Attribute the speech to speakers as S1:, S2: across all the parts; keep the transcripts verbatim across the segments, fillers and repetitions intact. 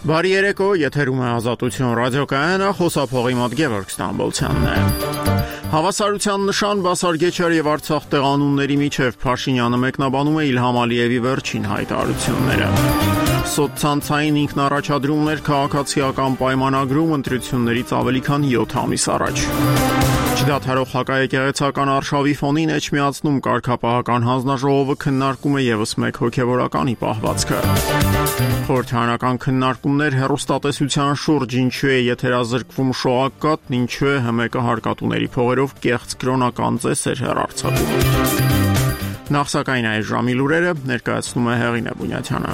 S1: Բարի երեկո, եթերում է Ազատություն ռադիոկայանը, խոսափողի մոտ Գևորգ Ստամբոլցյանն է։ Հավասարության նշան Բասարգեչար եւ Արցախ տեղանունների միջև Փաշինյանը մեկնաբանում է Իլհամ Ալիևի վերջին հայտարարությունները։ Սոցցանցային ինքնառաջադրումներ քաղաքացիական պայմանագրում ընտրություններից ավելի քան յոթ ամիս առաջ։ Չդադարող հակաեկեղեցական արշավի ֆոնին էջմիածնում կարգապահական հանձնաժողովը քննարկում է ևս մեկ հոգևորականի պահվածքը։ Խորհրդարանական քննարկումներ հեռուստատեսության շուրջ, ինչու է եթերազրկվում շոակատն, ինչու է ՀՄԿ հարկատուների փողերով կեղծ կրոնական ծեսեր հեռարձակում։ Նախ սակայն այս ժամի լուրերը ներկայացնում է Հեղինե Բունյաթյանը։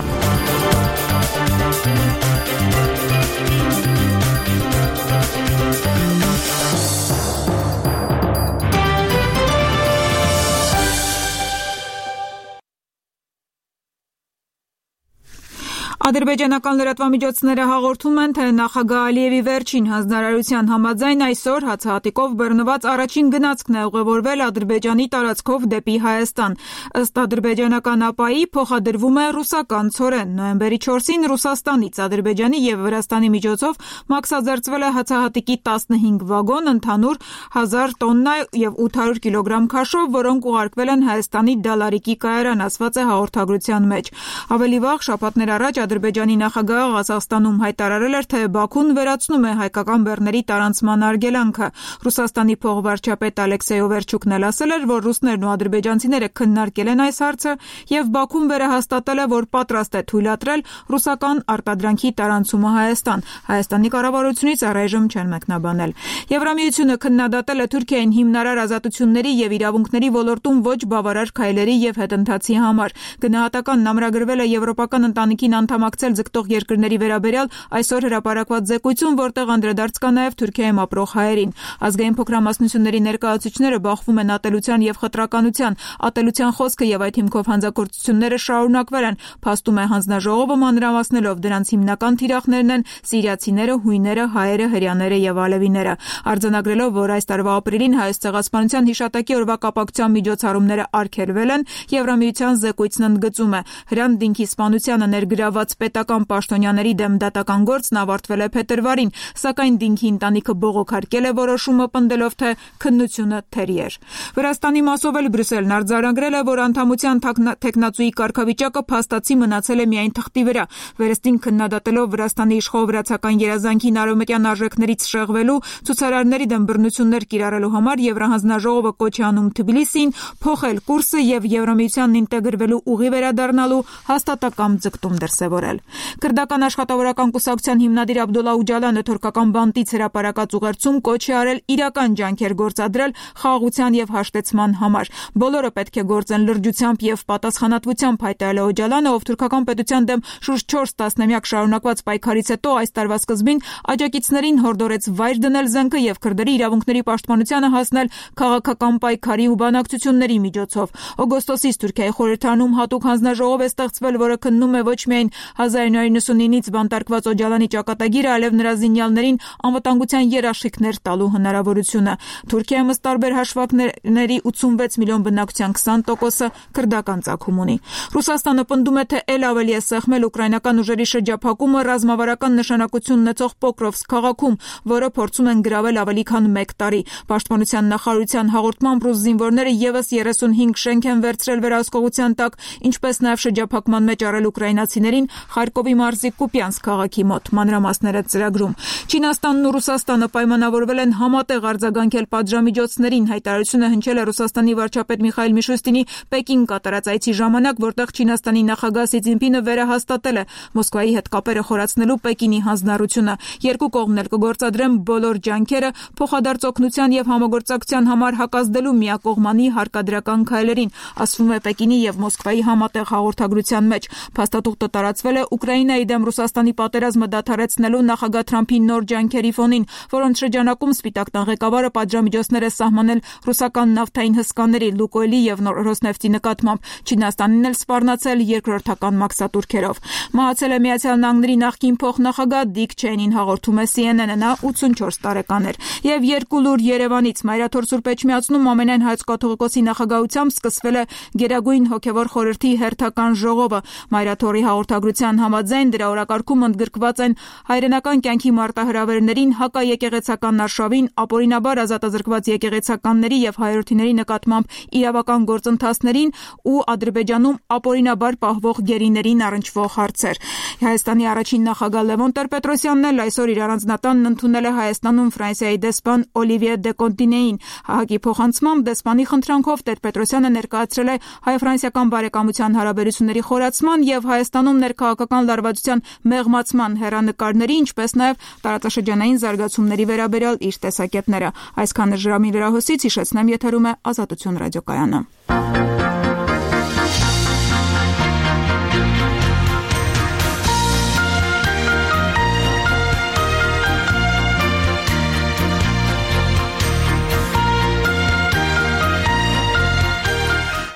S2: Ադրբեջանական լրատվամիջոցները հաղորդում են, թե նախագահ Ալիևի վերջին հանձնարարության համաձայն այսօր հացահատիկով բռնված առաջին գնացքն է ուղևորվել Ադրբեջանի տարածքով դեպի Հայաստան։ Ըստ ադրբեջանական ԱՊԱ-ի փոխադրվում է ռուսական ցորեն։ Նոյեմբերի չորսին Ռուսաստանից Ադրբեջանի եւ Վրաստանի միջոցով մաքսաձերծվել է հացահատիկի տասնհինգ վագոն, ընդհանուր հազար տոննա եւ ութ հարյուր կիլոգրամ քաշով, որոնք ուղարկվել են Հայաստանի Դալարիկի կայարան, ասված է հաղորդագրության մեջ։ Ավելի վաղ շաբաթներ առաջ Ադրբեջանի նախագահը Ղազախստանում հայտարարել էր, թե Բաքուն վերացնում է հայկական բեռների տարանցման արգելանքը։ Ռուսաստանի փոխվարչապետ Ալեքսեյ Օվերչուկն էլ ասել էր, որ ռուսներն ու ադրբեջանցիները քննարկել են այս հարցը եւ Բաքուն վերահաստատել է, որ պատրաստ է թույլատրել ռուսական արտադրանքի տարանցումը Հայաստան։ Հայաստանի կառավարությունից առայժմ չեն մեկնաբանել։ Եվրամիությունը քննադատել է Թուրքիային հիմնարար ազատությունների եւ իրավունքների ոլորտում ոչ բավարար քայլերի եւ հետընթացի համար։ Գնահատականն ամրագրվել է Եվրոպական ընտանիքին անդամակցել ձգտող երկրների վերաբերյալ այսօր հրապարակված զեկույցում, որտեղ անդրադարձ կա նաև Թուրքիայում ապրող հայերին։ Ազգային փոքրամասնությունների ներկայացուցիչները բախվում են ատելության եւ խտրականության։ Ատելության խոսքը եւ այդ հիմքով հանցագործությունները շարունակվել են, փաստում է հանձնաժողովը, մանրամասնելով դրանց հիմնական թիրախներն են սիրիացիները, հույները, հայերը, հրեաները եւ ալևիները։ Արձանագրելով, որ այս տարվա ապրիլին Հայոց ցեղասպանության հիշատակի օրվա կապակցության միջոցառումները արգելվել են, Եվրամիության զեկույցն ընդգծում է, Հրանտ Դինքի սպանությանը ներգրաված պետական պաշտոնյաների դեմ դատական գործն ավարտվել է փետրվարին, սակայն Դինքի ընտանիքը բողոքարկել է որոշումը, պնդելով, թե քննությունը թերի էր։ Վրաստանի մասով էլ Բրյուսելն արձանագրել է, որ անդամության թեկնածուի կարգավիճակը փաստացի մնացել է միայն թղթի վրա։ Վերստին քննադատելով Վրաստանի իշխող վրացական երազանքին արևմտյան արժեքներից շեղվելու, ցուցարարների դեմ բռնություններ կիրառելու համար Եվրահանձնաժողովը կոչ է անում Թբիլիսիին փոխել կուրսը եւ Եվրամիությանն ինտեգրվելու ուղի վերադառնալու հաստատակամ ձգտում դրսևորել։ Քրդական աշխատավորական կուսակցության հիմնադիր Աբդոլլա Ուջալանը թուրքական բանտից հրապարակած ուղերձում կոչ է արել իրական ջանքեր գործադրել խաղաղության եւ հաշտեցման համար։ Բոլորը պետք է գործեն լրջությամբ եւ պատասխանատվությամբ, հայտարարել է Օջալանը, ով թուրքական պետության դեմ շուրջ չորս տասնամյակ շարունակված պայքարից հետո այս տարվա սկզբին աջակիցներին հորդորեց վայր դնել զենքը եւ քրդերի իրավունքների պաշտպանությանը հասնել քաղաքական պայքարի ու բանակցությունների միջոցով։ Օգոստոսից Թուրքիայի խորհրդարանում հատուկ հանձնաժողով է ստեղծվել, որը քննում է ոչ միայն հազար իննյոց նոյնինից բանտարկված Օջալանի ճակատագիրը, այլև նրա զինյալներին անվտանգության երաշխիքներ տալու հնարավորությունը։ Թուրքիայում ըստ տարբեր հաշվարկների ութսունվեց միլիոն բնակչության քսան տոկոսը քրդական ծագում ունի։ Ռուսաստանը պնդում է, թե ել ավելի է սեղմել ուկրաինական ուժերի շրջափակումը ռազմավարական նշանակություն ունեցող Պոկրովսկ քաղաքում, որը փորձում են գրավել ավելի քան մեկ տարի։ Պաշտպանության նախարարության հաղորդմամբ ռուս զինվորները եւս երեսունհինգ շենք են վերցրել վերահսկողության տակ, ինչպես նաև շրջափակման մեջ առել ուկրաինացիներին Խարկովի մարզի Կուպյանսկ քաղաքի մոտ։ Մանրամասները ծրագրում։ Չինաստանն ու Ռուսաստանը պայմանավորվել են համատեղ արձագանքել պատժամիջոցներին։ Հայտարարությունը հնչել է Ռուսաստանի վարչապետ Միխայիլ Միշուստինի Պեկին կատարած այցի ժամանակ, որտեղ Չինաստանի նախագահ Սի Ցզինպինը վերահաստատել է Մոսկվայի հետ կապերը խորացնելու Պեկինի հանձնառությունը։ Երկու կողմն էլ կգործադրեն բոլոր ջանքերը փոխադարձ օգնության եւ համագործակցության համար հակազդելու միակողմանի հարկադրական քայլերին, ասվում է Պեկինի եւ Մոսկվայի համատեղ հաղորդագրության մեջ։ Փաստաթուղթը տարածվել է Ուկրաինայի դեմ Ռուսաստանի պատերազմը դադարեցնելու նախագահ Թրամփի նոր ջանքերի ֆոնին, որոնց շրջանակում Սպիտակ տան ղեկավարը պատժամիջոցներ է սահմանել ռուսական նավթային հսկաների Լուկոյլի եւ Ռոսնեֆտի նկատմամբ։ Չինաստանին էլ սպառնացել երկրորդական մաքսատուրքերով։ Մահացել է Միացյալ Նահանգների նախկին փոխնախագահ Դիկ Չեյնին, հաղորդում է Սի Էն Էն-ը, նա ութսունչորս տարեկան էր։ Եվ երկու լուր Երևանից Մայրաթոր Սուրբ Էջմիածնում ամենայն հայոց կաթողիկոսի նախագահությամբ սկսվել է Գերագույն հոգևոր խորհրդի հերթական ժողովը։ Մայրաթորի հաղորդագրության Հանրության համաձայն դրա օրակարգում ընդգրկված են հայրենական կյանքի մարտահրավերներին, հակաեկեղեցական արշավին, ապօրինաբար ազատազրկված եկեղեցականների եւ հայրենիների նկատմամբ իրավական գործընթացներին ու Ադրբեջանում ապօրինաբար պահվող գերիներին առնչվող հարցեր։ Հայաստանի առաջին նախագահ Լևոն Տեր-Պետրոսյանն էլ այսօր իր առանձնատանն ընդունել է Հայաստանում Ֆրանսիայի դեսպան Օլիվիե դե Կոնտինեին։ ՀԱՀԿ-ի փոխանցմամբ դեսպանի խնդրանքով Տեր-Պետրոսյանը ներկայացրել է հայ-ֆրանսիական բարեկամության հարաբերությունների խորացման եւ Հայաստանում ներքաղաքական լարվածության մեղմացման հեռանկարների, ինչպես նաեւ տարածաշրջանային զարգացումների վերաբերյալ իր տեսակետները։ Այսքանը ժրամի վերահոսից հիշեցնեմ, եթերում է Ազատություն ռադիոկայանը։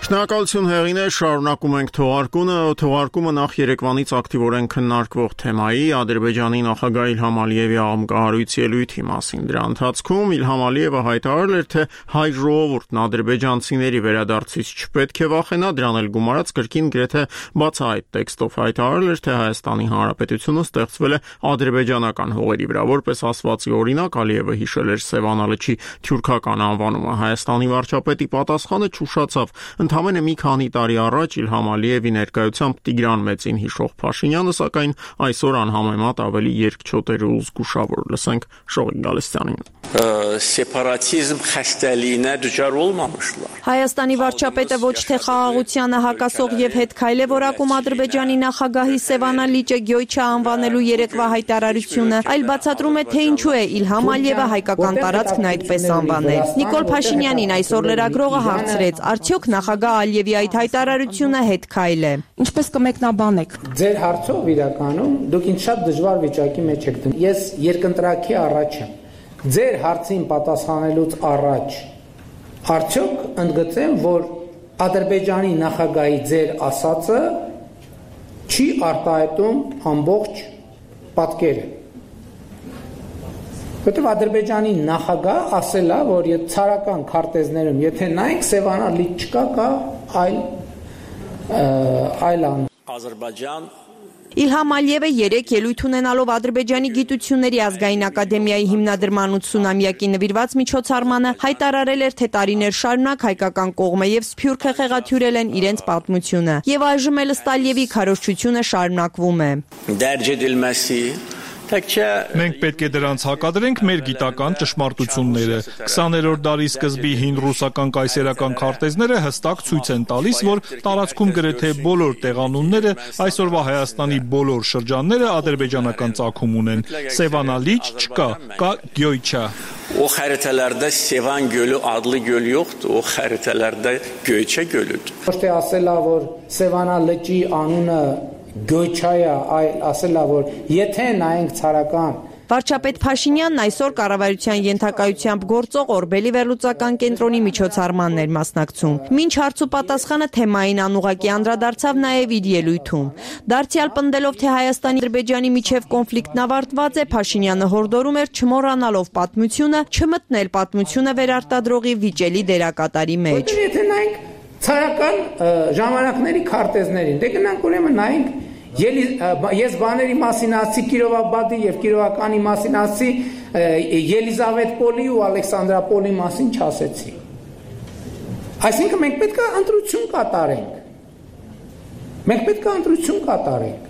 S1: Շնորհակալություն հեղինե, շարունակում ենք թողարկումը, թողարկումը նախ երեկվանից ակտիվորեն քննարկվող թեմայի Ադրբեջանի նախագահ Իլհամ Ալիևի աղմկահարույց ելույթի մասին։ Դրա ընթացքում Իլհամ Ալիևը հայտարարել էր, թե հայ ժողովուրդն ադրբեջանցիների վերադարձից չպետք է վախենա, դրան էլ գումարած կրկին գրեթե բացահայտ տեքստով հայտարարել էր, թե Հայաստանի Հանրապետությունը ստեղծվել է ադրբեջանական հողերի վրա։ Որպես ասվածի օրինակ Ալիևը հիշել էր Սևանա լճի թյուրքական անվանումը։ Հայաստանի վարչապետի պատասխանը չուշացավ։ Ընդամենը մի քանի տարի առաջ Իլհամ Ալիևի ներկայությամբ Տիգրան Մեծին հիշող Փաշինյանը, սակայն այսօր անհամեմատ ավելի երկչոտ էր ու զգուշավոր։ Լսենք Շողիկ Գալստյանին։
S3: Սեպարատիզմ խստալինը դժվար olmamışlar։
S4: Հայաստանի վարչապետը ոչ թե խաղաղությանը հակասող եւ հետ քայլ է որակում Ադրբեջանի նախագահի Սևանա լիճը Գյոյչա անվանելու երեկվա հայտարարությունը, այլ բացատրում է, թե ինչու է Իլհամ Ալիևը հայկական տարածքն այդպես անվանել։ Նիկոլ Փաշինյանին այսօր լրագրողը հարցրեց, արդյոք նախագահ Ալիևի այդ հայտարարությունը հետ քայլ է։ Ինչպես կմեկնաբանեք։
S5: Ձեր հարցով իրականում դուք ինձ շատ դժվար վիճակի մեջ եք դնում։ Ես երկընտրակի առաջ եմ։ Ձեր հարցին պատասխանելուց առաջ արդյոք ընդգծեմ, որ Ադրբեջանի նախագահի ձեր ասածը չի արտահայտում ամբողջ պատկերը։ Որտեղ Ադրբեջանի նախագահ ասել է, որ եթե ցարական քարտեզներում, եթե նայեք Սևանա լիճ չկա, կա այլ այլ ան։
S3: Ադրբեջան
S4: Իլհամ Ալիևը երեք ելույթ ունենալով Ադրբեջանի գիտությունների ազգային ակադեմիայի հիմնադրման ութսունամյակի նվիրված միջոցառմանը հայտարարել էր, թե տարիներ շարունակ հայկական կողմը եւ Սփյուռքը խեղաթյուրել են իրենց պատմությունը, եւ այժմ էլ ըստ Ալիևի քարոզչությունը շարունակվում է։
S3: Դերջ edilmesi
S6: Մենք պետք է դրանց հակադրենք մեր գիտական ճշմարտությունները։ քսաներորդ դարի սկզբի հին ռուսական կայսերական քարտեզները հստակ ցույց են տալիս, որ տարածքում գրեթե բոլոր տեղանունները, այսօրվա Հայաստանի բոլոր շրջանները ադրբեջանական ծագում ունեն։ Սևանա լիճ չկա, կա Գյոյչա։
S3: O xəritələrdə Sevan gölü adlı göl yoxdur, o xəritələrdə Göyçə gölüdür։
S5: Ոչ թե ասել է, որ Սևանա լճի անունը Գյոյչայա, այլ ասելա, որ եթե նայենք ցարական
S4: Վարչապետ Փաշինյանն այսօր կառավարության ենթակայությամբ գործող Օրբելի վերլուծական կենտրոնի միջոցառմանն էր մասնակցում։ Մինչ հարց ու պատասխանը թեմային անուղղակի անդրադարձավ նաև իր ելույթում։ Դարձյալ պնդելով, թե Հայաստանի Ադրբեջանի միջև կոնֆլիկտն ավարտված է, Փաշինյանը հորդորում էր չմոռանալով պատմությունը, չմտնել պատմությունը վերարտադրողի վիճելի դերակատարի մեջ։
S5: Եթե նայենք ցարական ժամանակների քարտեզներին, դե գնանք ուրեմն նայենք Ես բաների մասին ասի Կիրովաբադի եւ Կիրովականի մասին ասի Ելիզավետպոլի ու Ալեքսանդրապոլի մասին չասեցի։ Այսինքն մենք պետք է ընտրություն կատարենք։ Մենք պետք է ընտրություն կատարենք։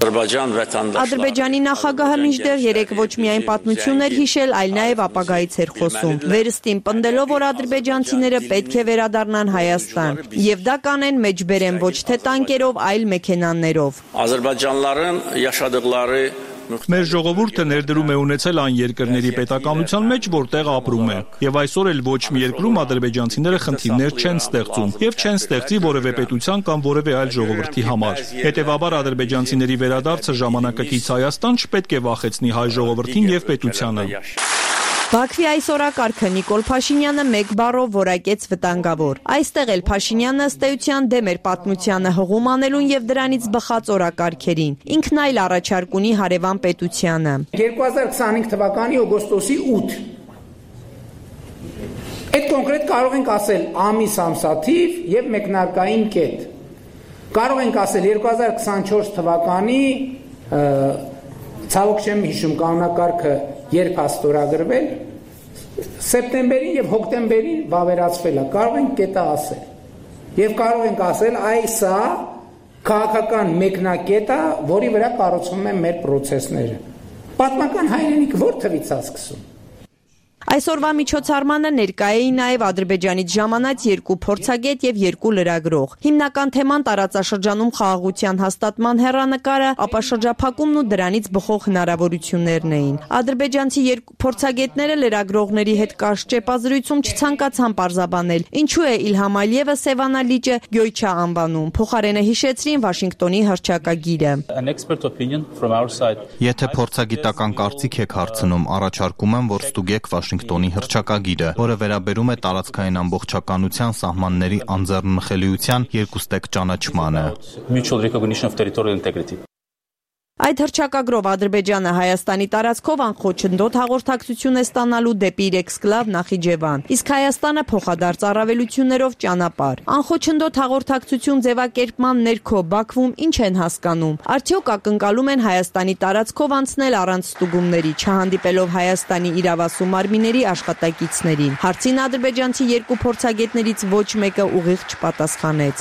S4: Ադրբեջանի նախագահը մինչդեռ երեք ոչ միայն պատմություն էր հիշել, այլ նաև ապագայից էր խոսում։ Վերստին պնդելով, որ ադրբեջանցիները պետք է վերադառնան Հայաստան, եւ դա կանեն մեջբերեն ոչ թե տանկերով, այլ մեքենաներով։
S3: Ադրբեջանlıların yaşadıkları
S6: Մեր ժողովուրդը ներդրում է ունեցել այն երկրների պետականության մեջ, որտեղ ապրում է։ Եվ այսօր էլ ոչ մի երկրում ադրբեջանցիները խնդիրներ չեն ստեղծում եւ չեն ստեղծի որևէ պետության կամ որևէ այլ ժողովրդի համար։ Հետևաբար ադրբեջանցիների վերադարձը ժամանակակից Հայաստան չպետք է վախեցնի հայ ժողովրդին եւ պետությանը։
S4: Բաքվի այս օրակարգը Նիկոլ Փաշինյանը մեկ բառով որակեց վտանգավոր։ Այստեղ էլ Փաշինյանը ըստ էության դեմ էր պատմությանը հղում անելուն եւ դրանից բխած օրակարգերին։ Ինքն այլ առաջարկ ունի հարևան պետությանը։
S5: երկու հազար քսանհինգ թվականի օգոստոսի ութ Այդ կոնկրետ կարող ենք ասել ամիս ամսաթիվ եւ մեկնարկային կետ։ Կարող ենք ասել երկու հազար քսանչորս թվականի ցավոք չեմ հիշում կանոնակարգը երբ է ստորագրվել, սեպտեմբերին եւ հոկտեմբերին վավերացվել է, կարող ենք կետը ասել։ Եվ կարող ենք ասել, այսա քաղաքական մեկնակետը, որի վրա կառուցվում են մեր process-ները։ Պատմական հայրենիք որ թվից է սկսում։
S4: Այսօրվա միջոցառմանը ներկա էին նաև Ադրբեջանից ժամանած երկու փորձագետ եւ երկու լրագրող։ Հիմնական թեման տարածաշրջանում խաղաղության հաստատման հեռանկարը, ապա շրջափակումն ու դրանից բխող հնարավորություններն էին։ Ադրբեջանցի երկու փորձագետները լրագրողների հետ կարճ ճեպազրույցում չցանկացան պարզաբանել, ինչու է Իլհամ Ալիևը Սևանա լիճը Գյոյչա անվանում։ Փոխարենը հիշեցրին Վաշինգտոնի հռչակագիրը։
S7: Եթե փորձագիտական կարծիք եք հարցնում, առաջարկում եմ, որ ստուգեք Վաշինգտոնի հռչակագիրը, որը վերաբերում է տարածքային ամբողջականության սահմանների անձեռնմխելիության երկուստեք ճանաչմանը։
S4: Այդ հռչակագրով Ադրբեջանը Հայաստանի տարածքով անխոչնդոտ հաղորդակցություն է ստանալու դեպի Ռեքսկլավ Նախիջևան, իսկ Հայաստանը փոխադարձ առավելություններով ճանապարհ։ Անխոչնդոտ հաղորդակցություն ձևակերպման ներքո Բաքվում ինչ են հասկանում։ Արդյոք ակնկալում են Հայաստանի տարածքով անցնել առանց ստուգումների, չհանդիպելով Հայաստանի իրավասու մարմինների աշխատակիցներին։ Հարցին ադրբեջանցի երկու փորձագետներից ոչ մեկը ուղիղ չպատասխանեց։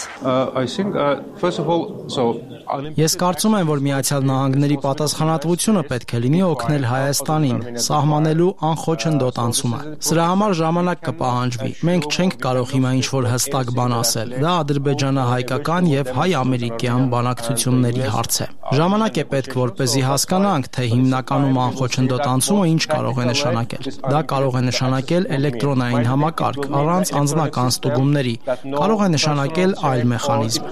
S8: Ես կարծում եմ, որ Միացյալ Նահանգների պատասխանատվությունը պետք է լինի օգնել Հայաստանին սահմանելու անխոչնդոտ անցումը։ Սրա համար ժամանակ կպահանջվի։ Մենք չենք կարող հիմա ինչ-որ հստակ բան ասել։ Դա ադրբեջանա-հայկական եւ հայ-ամերիկյան բանակցությունների հարց է։ Ժամանակ է պետք, որպեսզի հասկանանք, թե հիմնականում անխոչնդոտ անցումը ինչ կարող է նշանակել։ Դա կարող է նշանակել էլեկտրոնային համակարգ առանց անձնական ստուգումների, կարող է նշանակել այլ մեխանիզմ։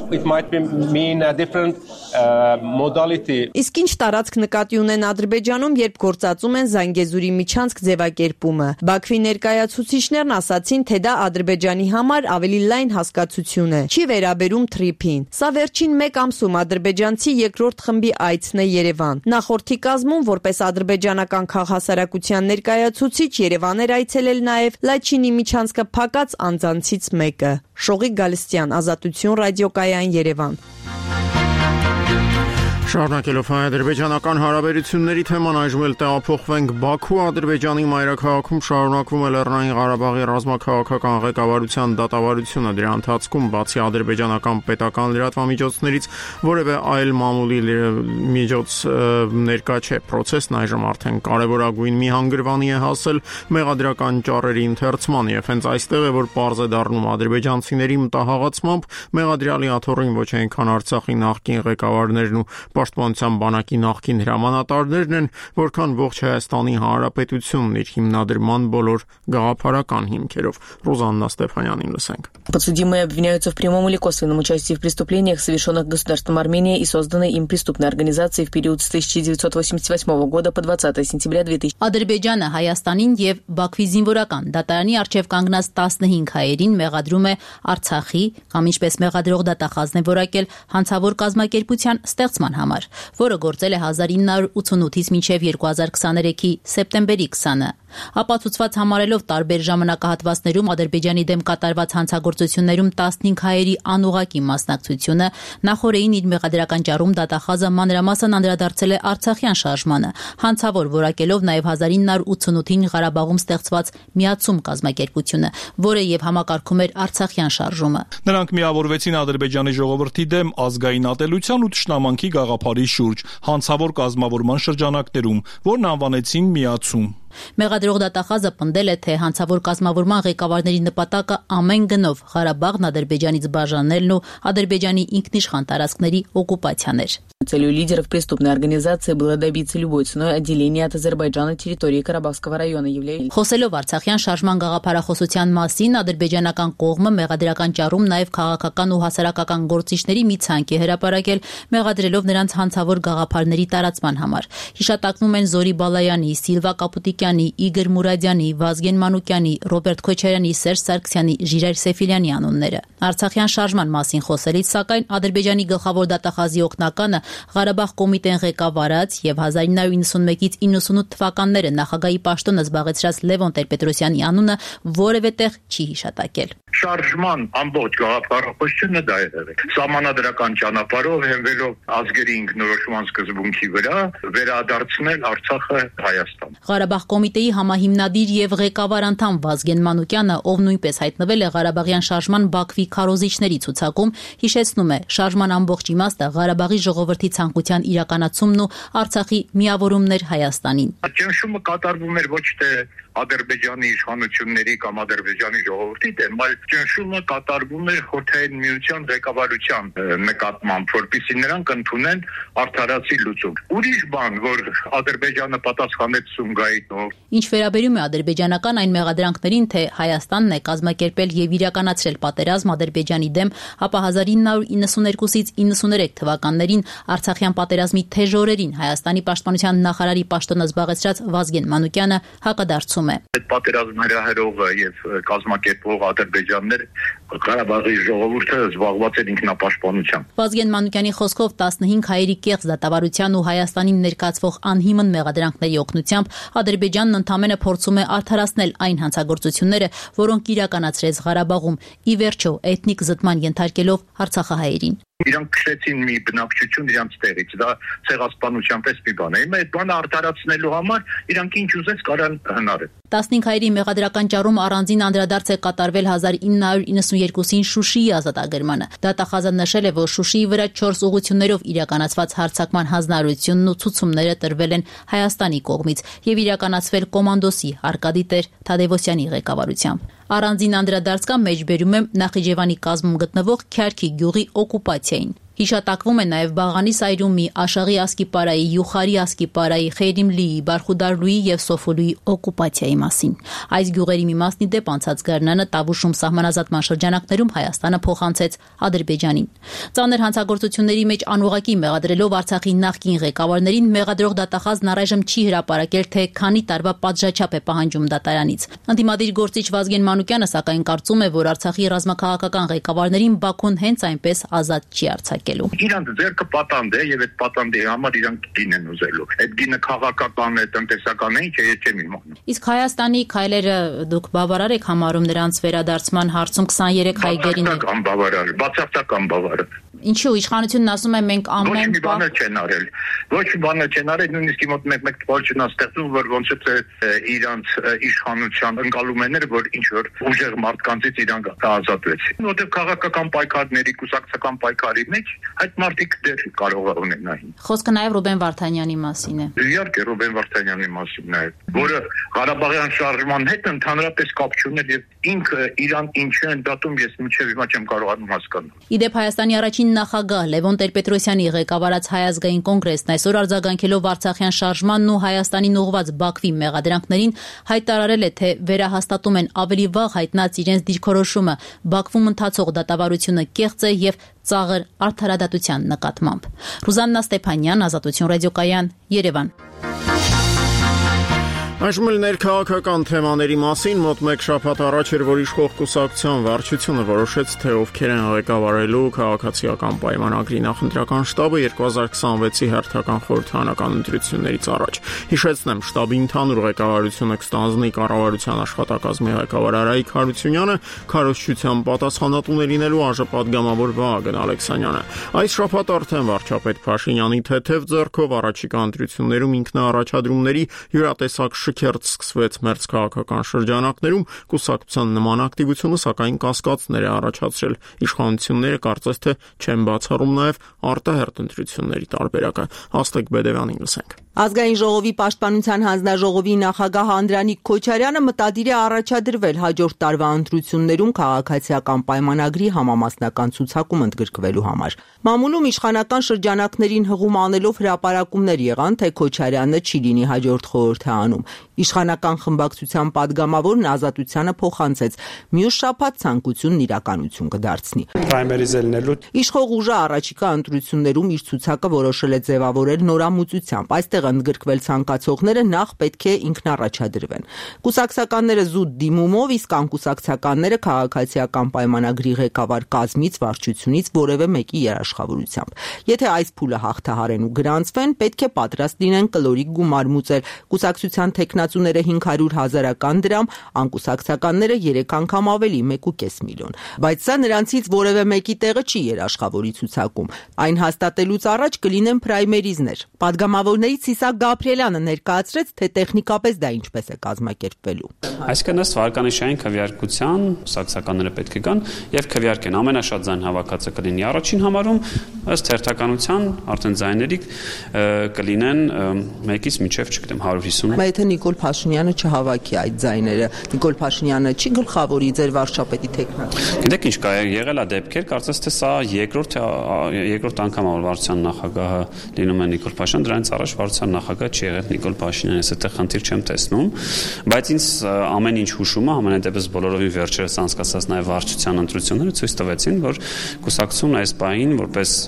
S4: Իսկ ինչ տարածք նկատի ունեն Ադրբեջանում, երբ գործածում են Զանգեզուրի միջանցք ձևակերպումը։ Բաքվի ներկայացուցիչներն ասացին, թե դա Ադրբեջանի համար ավելի լայն հասկացություն է, չի վերաբերում թրիփին։ Սա վերջին մեկ ամսում ադրբեջանցի երկրորդ խմբի այցն է Երևան։ Նախորդի կազմում, որպես ադրբեջանական քաղաքասարակության ներկայացուցիչ, Երևան էր այցելել նաև Լաչինի միջանցքը փակած անձանցից մեկը։ Շողիկ Գալստյան, Ազատություն ռադիոկայան, Երևան։
S1: Շարունակելով հայ-ադրբեջանական հարաբերությունների թեման, այժմ էլ տեղափոխվենք Բաքու։ Ադրբեջանի մայրաքաղաքում շարունակվում է Լեռնային Ղարաբաղի ռազմաքաղաքական ղեկավարության դատավարությունը։ Դրա ընթացքում բացի ադրբեջանական պետական լրատվամիջոցներից որևէ այլ մամուլի միջոց ներկա չէ։ Պրոցեսն այժմ արդեն կարևորագույն մի հանգրվանի է հասել մեղադրական ճառերի ընթերցման, եւ հենց այստեղ է, որ պարզ է դառնում ադրբեջանցիների մտահղացմամբ մեղադրյալի աթոռին ոչ այնքան Արցախի նախկին ղեկավարներն ու Պաշտպանության բանակի նախկին հրամանատարներն են, որքան ողջ Հայաստանի Հանրապետությունն իր հիմնադրման բոլոր գաղափարական հիմքերով։ Ռոզաննա Ստեփանյանին լսենք։
S9: Подсудимые обвиняются в прямом или косвенном участии в преступлениях, совершенных государством Армения и созданной им преступной организацией в период с тысяча девятьсот восемьдесят восьмого года по двадцатое сентября две тысячи.
S10: Ադրբեջանը Հայաստանին եւ Բաքվի զինվորական դատարանի արչեւ կանգնած տասնհինգ հայերին մեղադրում է Արցախի կամ ինչպես մեղադրող դատախազն է որակել հանցավոր կազմակերպության ստեղծման համար, որը գործել է հազար ինը հարյուր ութանութից մինչև երկու հազար քսաներեքի սեպտեմբերի քսանը։ Ապացուցված համարելով տարբեր ժամանակահատվածներում Ադրբեջանի դեմ կատարված հանցագործություններում տասնհինգ հայերի անուղղակի մասնակցությունը, նախորդին իր մեղադրական ճառում դատախազը մանրամասն անդրադարձել է Արցախյան շարժմանը, հանցավոր որակելով նաև հազար ինը հարյուր ութանութին Ղարաբաղում ստեղծված միացում կազմակերպությունը, որը եւ համակարգում էր Արցախյան շարժումը։
S6: Նրանք միավորվեցին Ադրբեջանի ժողովրդի դեմ ազգային ատելության ու թշնամանքի գաղափարի շուրջ հանցավոր կազմավորման շրջանակներում, որն անվանեցին միացում։
S10: Մեղադրող դատախազը պնդել է, թե հանցավոր կազմավորման ղեկավարների նպատակը ամեն գնով Ղարաբաղն Ադրբեջանից բաժանելն ու Ադրբեջանի ինքնիշխան տարածքների օկուպացիան էր։
S9: Целью лидеров преступной организации было добиться любой ценой отделения от Азербайджана территории Карабахского района, являясь...
S10: Խոսելով Արցախյան շարժման գաղափարախոսության մասին, ադրբեջանական կողմը մեղադրական ճառում նաև քաղաքական ու հասարակական գործիչների մի ցանկ է հրապարակել, մեղադրելով նրանց հանցավոր գաղափարների տարածման համար։ Հիշատակվում են Զորի Բալայանի, Սիլվա Կապուտի Սուլիկյանի, Իգոր Մուրադյանի, Վազգեն Մանուկյանի, Ռոբերտ Քոչարյանի, Սերժ Սարգսյանի, Ժիրայր Սեֆիլյանի անունները։ Արցախյան շարժման մասին խոսելիս, սակայն Ադրբեջանի գլխավոր դատախազի օգնականը Ղարաբաղ կոմիտեն ղեկավարած եւ հազար ինը հարյուր իննսունմեկից իննսունութ թվականները նախագահի պաշտոնը զբաղեցրած Լևոն Տեր-Պետրոսյանի անունը որևէ տեղ չի հիշատակել։
S11: Շարժման ամբողջ գաղափարախոսությունը դա է եղել։ Սահմանադրական ճանապարհով հենվելով ազգերի ինքնորոշման սկզբունքի վրա վերադարձնել Արցախը Հայաստան։
S10: Ղարաբաղ կոմիտեի համահիմնադիր եւ ղեկավար անդամ Վազգեն Մանուկյանը, ով նույնպես հայտնվել է Ղարաբաղյան շարժման Բաքվի քարոզիչների ցուցակում, հիշեցնում է, շարժման ամբողջ իմաստը Ղարաբաղի ժողովրդի ցանկության իրականացումն ու Արցախի միավորումն էր Հայաստանին։
S11: Ճնշումը կատարվում էր ոչ թե Ադրբեջանի իշխանությունների կամ Ադրբեջանի ժողովրդի դեմ, այլ ճնշումը կատարվում էր Խորհրդային Միության ղեկավարության նկատմամբ, որպեսզի նրանք ընդունեն արդարացի լուծում։ Ուրիշ բան, որ Ադրբեջանը պատասխանեց Սումգայիթով։
S10: Ինչ վերաբերում է ադրբեջանական այն մեղադրանքներին, թե Հայաստանն է կազմակերպել եւ իրականացրել պատերազմ Ադրբեջանի դեմ, ապա հազար ինը հարյուր իննսուներկուսից իննսուներեք թվականներին Արցախյան պատերազմի թեժ օրերին Հայաստանի պաշտպանության նախարարի պաշտոնը զբաղեցրած Վազգեն Մանուկյանը հակադարձում է։
S11: Այդ պատերազմը հրահրողը եւ կազմակերպող ադրբեջաններ Ղարաբաղի ժողովուրդը զբաղված էր ինքնապաշտպանությամբ։
S10: Վազգեն Մանուկյանի խոսքով տասնհինգ հայերի կեղծ դատավարության ու Հայաստանին ներկայացվող անհիմն մեղադրանքների օգնությամբ Ադրբեջանն ընդամենը փորձում է արդարացնել այն հանցագործությունները, որոնք իրականացրեց Ղարաբաղում, ի վերջո էթնիկ զտման ենթարկելով արցախահայերին։
S11: Իրանք քշեցին մի բնակչություն իրանց տեղից, դա ցեղասպանության պես մի բան է։ Հիմա այդ բանը արդարացնելու համար իրանք ինչ ուզես կարան հնարել։
S10: տասնհինգ հայերի մեղադրական ճառում առանձին անդրադարձ է կատարվել հազար ինը հարյուր իննսուներկուսին Շուշիի ազատագրմանը։ Դատախազը նշել է, որ Շուշիի վրա չորս ուղղություններով իրականացված հարձակման հանձնարարությունն ու ցուցումները տրվել են Հայաստանի կողմից եւ իրականացվել կոմանդոսի Արկադի Տեր Թադևոսյանի ղեկավարությամբ։ Առանձին անդրադարձ կա մեջբերում է Նախիջևանի կազմում գտնվող Քյարքի գյուղի օկուպացիային։ Հիշատակվում է նաև Բաղանի Սայրումի, Աշաղի Ասկիպարայի, Յուխարի Ասկիպարայի, Խեյրիմլիի, Բարխուդարլուի եւ Սոֆոլուի օկուպացիայի մասին։ Այս գյուղերի մի մասն ի դեպ անցած գարնանը Տավուշում սահմանազատման շրջանակներում Հայաստանը փոխանցեց Ադրբեջանին։ Ծանր հանցագործությունների մեջ անուղղակի մեղադրելով Արցախի նախկին ղեկավարներին մեղադրող դատախազն առայժմ չի հրապարակել, թե քանի տարվա պատժաչափ է պահանջում դատարանից։ Ընդդիմադիր գործիչ Վազգեն Մանուկյանը սակայն կարծում է, որ Արցախի ռազմաքաղաքական ղեկավարներին Բաքուն հենց այնպես ազատ չի արձակել։
S11: Իրանք ձեռքը պատանդ է եւ այդ պատանդի համար իրանք գին են ուզելու։ Այդ գինը քաղաքական է, տնտեսական է, ինչ է, չեմ իմանում։
S10: Իսկ Հայաստանի քայլերը դուք բավարար եք համարում նրանց վերադարձման հարցում քսաներեք հայգերին։
S11: Բացարձակ անբավարար, բացարձակ անբավարար։
S10: Ինչու իշխանությունն ասում է մենք ամեն
S11: Ոչ մի բան չեն արել։ Ոչ մի բան չեն արել, նույնիսկ մոտ մեկ-մեկ տվարչն աստեղծում, որ ոնց է իրանց իշխանության ընկալումներ, որ ինչ որ ուժեղ մարդկանցից իրանք ազատվեցին։ Որտեղ քաղաքական պայքարների, կուսակցական պայքարի մեջ այդ մարդիկ դեռ կարող են ունենալ։
S10: Խոսքը նաև Ռուբեն Վարդանյանի մասին է։
S11: Իհարկե Ռուբեն Վարդանյանի մասին է, որը Ղարաբաղյան շարժման հետ ընդհանրապես կապ չուներ եւ ինքը իրան ինչու են դատում, ես մինչեւ հիմա չեմ կարողանում հասկանալ։
S10: Իդեպ Հայաստանի առաջին նախագահ Լևոն Տեր-Պետրոսյանի ղեկավարած Հայ ազգային կոնգրեսն այսօր արձագանքելով Արցախյան շարժմանն ու Հայաստանին ուղղված Բաքվի մեղադրանքներին հայտարարել է, թե վերահաստատում են ավելի վաղ հայտնած իրենց դիրքորոշումը Բաքվում ընթացող դատավարությունը կեղծ է եւ ծաղր արդարադատության նկատմամբ։ Ռուզաննա Ստեփանյան, Ազատություն ռադիոկայան, Երևան։
S1: Այժմ ներքաղաքական թեմաների մասին մոտ մեկ շաբաթ առաջ էր, որ իշխող կուսակցության վարչությունը որոշեց, թե ովքեր են ղեկավարելու քաղաքացիական պայմանագրի նախընտրական շտաբը երկու հազար քսանվեցի հերթական խորհրդարանական ընտրություններից առաջ։ Հիշեցնեմ, շտաբի ընդհանուր ղեկավարությունը կստանձնի կառավարության աշխատակազմի ղեկավար Արայիկ Հարությունյանը, քարոզչության պատասխանատու լինելու արժանապատգամավոր Վահագն Ալեքսանյանը։ Այս շաբաթ արդեն վարչապետ Փաշինյանի թեթև ձեռքով առաջիկա ընտրություններում ինքնաառաջադրումների յուրատեսակ շքերթ սկսվեց մերձքաղաքական շրջանակներում, կուսակցության նման ակտիվությունը սակայն կասկածներ է առաջացրել։ Իշխանությունները կարծես թե չեն բացառում նաև արտահերթ ընտրությունների տարբերակը։ Հաստիկ Բեդևյանին լսենք։
S4: Ազգային ժողովի պաշտպանության հանձնաժողովի նախագահ Անդրանիկ Քոչարյանը մտադիր է առաջադրվել հաջորդ տարվա ընտրություններում քաղաքացիական պայմանագրի համամասնական ցուցակում ընդգրկվելու համար։ Մամուլում իշխանական շրջանակներին հղում անելով հրապարակումներ եղան, թե Քոչարյանը չի լինի հաջորդ խորհրդարանում։ Իշխանական խմբակցության падգամավորն Ազատությանը փոխանցեց մյուս շաբաթ ցանկությունն իրականություն կդարձնի։ Իշխող ուժը առաջիկա ընտրություններում իր ցուցակը որոշել է ձևավորել նորամուծությամբ։ Այստեղ
S12: այդտեղ ընդգրկվել ցանկացողները նախ պետք է ինքնառաջադրվեն։ Կուսակցականները զուտ դիմումով, իսկ անկուսակցականները քաղաքացիական պայմանագրի ղեկավար կազմից, վարչությունից որևէ մեկի երաշխավորությամբ։ Եթե այս փուլը հաղթահարեն ու գրանցվեն, պետք է պատրաստ լինեն կլորիկ գումար մուծել։ Կուսակցության թեկնածուները հինգ հարյուր հազարական դրամ, անկուսակցականները երեք անգամ ավելի՝ մեկ ու կես միլիոն։ Բայց սա նրանցից որևէ մեկի տեղը չի երաշխավորի ցուցակում։ Այն հաստատելուց առաջ կլինեն պրայմերիզներ։ Պատգամավորներից Իսահակ Գաբրիելյանը ներկայացրեց, թե տեխնիկապես դա ինչպես է կազմակերպվելու։
S13: Այսինքն ըստ վարկանիշային քվեարկության կուսակցականները պետք է գան եւ քվեարկեն ամենաշատ ձայն հավաքածը կլինի առաջին համարում, ըստ հերթականության արդեն ձայների կլինեն մեկից մինչեւ չգիտեմ հարյուր հիսուն։
S12: Բայց եթե Նիկոլ Փաշինյանը չհավաքի այդ ձայները, Նիկոլ Փաշինյանը չի գլխավորի ձեր վարչապետի թեկնածու։
S13: Գիտեք ինչ կա, եղել է դեպքեր, կարծես թե սա երկրորդ երկրորդ անգամ որ վարչության նախագահը լինում է Նիկոլ Փաշինյան, դրանից առաջ վարչության նախագահ չի եղել Նիկոլ Փաշինյանը, ես այդտեղ խնդիր չեմ տեսնում, բայց ինձ ամեն ինչ հուշում է, ամենայնտեպս բոլորովին վերջերս անցկացած նաև վարչության ընտրությունները ցույց տվեցին, որ կուսակցությունն այս բային որպես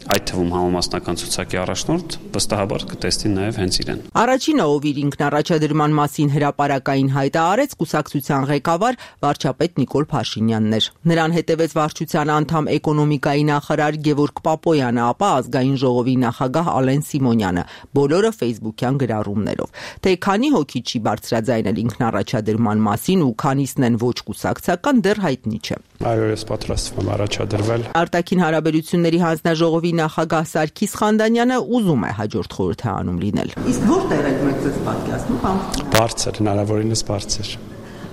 S13: այդ թվում համամասնական ցուցակի առաջնորդ վստահաբար կտեսնի նաև հենց իրեն։
S12: Առաջինը, ով իր ինքնառաջադրման մասին հրապարակային հայտը արեց, կուսակցության ղեկավար վարչապետ Նիկոլ Փաշինյանն էր։ Նրան հետևեց վարչության անդամ էկոնոմիկայի նախարար Գևորգ Պապոյանը, ապա ազգային ժողովի նախագահ Ալեն Սիմոնյանը, բոլորը ֆեյսբուքյան գրառումներով։ Թե քանի հոգի չի բարձրաձայնել ինքնառաջադրման մասին ու քանիսն են ոչ կուսակցական, դեռ հայտնի չէ։
S14: Այո, ես պատրաստվում եմ առաջադրվել։
S12: Արտաքին հարաբերությունների հանձնաժողովի նախագահ Սարգիս Խանդանյանը ուզում է հաջորդ խորհրդարանում լինել։ Իսկ որտեղ եք մեկ ձեզ պատկասնում, կամ
S14: բարձր, հնարավորինս բարձր։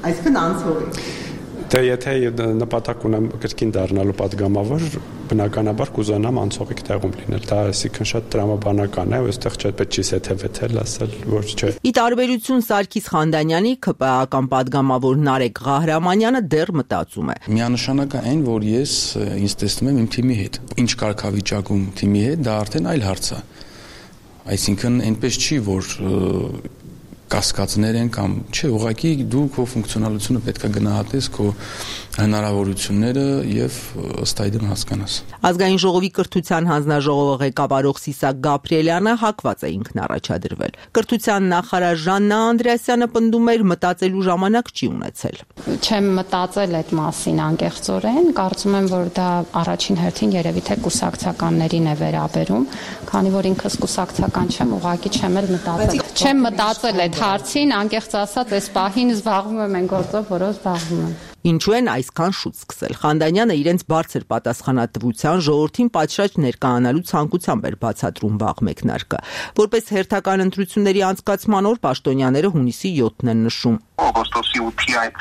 S12: Այսինքն անցողի։
S14: Դե եթե նպատակ ունեմ կրկին դառնալու պատգամավոր, բնականաբար կուզենամ անցողիկ տեղում լինել։ Դա այսինքն շատ տրամաբանական է, այստեղ չպետք չի սեթեվեթել ասել, որ չէ։
S12: Ի տարբերություն Սարգիս Խանդանյանի, ՔՊԱ-ական պատգամավոր Նարեկ Ղահրամանյանը դեռ մտածում է։
S15: Միանշանակ է այն, որ ես ինձ տեսնում եմ իմ թիմի հետ։ Ինչ կարգավիճակում թիմի հետ, դա արդեն այլ հարց է։ Այսինքն այնպես չի, որ կասկածներ են կամ չէ, ուղղակի դու քո ֆունկցիոնալությունը պետք է գնահատես, քո հնարավորությունները եւ ըստ այդմ հասկանաս։
S12: Ազգային ժողովի կրթության հանձնաժողովը ղեկավարող Իսահակ Գաբրիելյանը հակված է ինքնառաջադրվել։ Կրթության նախարար Ժաննա Անդրեասյանը պնդում էր, մտածելու ժամանակ չի ունեցել։
S16: Չեմ մտածել այդ մասին անկեղծորեն, կարծում եմ, որ դա առաջին հերթին երևի թե կուսակցականներին է վերաբերում, քանի որ ինքս կուսակցական չեմ, ուղղակի չեմ էլ մտածել։ Չեմ մտածել այդ հարցին, անկեղծ ասած, այս պահին զբաղվում եմ այն գործով, որով զբաղվում եմ։
S12: Ինչու են այսքան շուտ սկսել։ Խանդանյանը իրենց բարձր պատասխանատվության ժողովրդին պատշաճ ներկայանալու ցանկությամբ էր բացատրում վաղ մեկնարկը։ Որպես հերթական ընտրությունների անցկացման օր պաշտոնյաները հունիսի յոթն են նշում։
S11: Օգոստոսի ութի այդ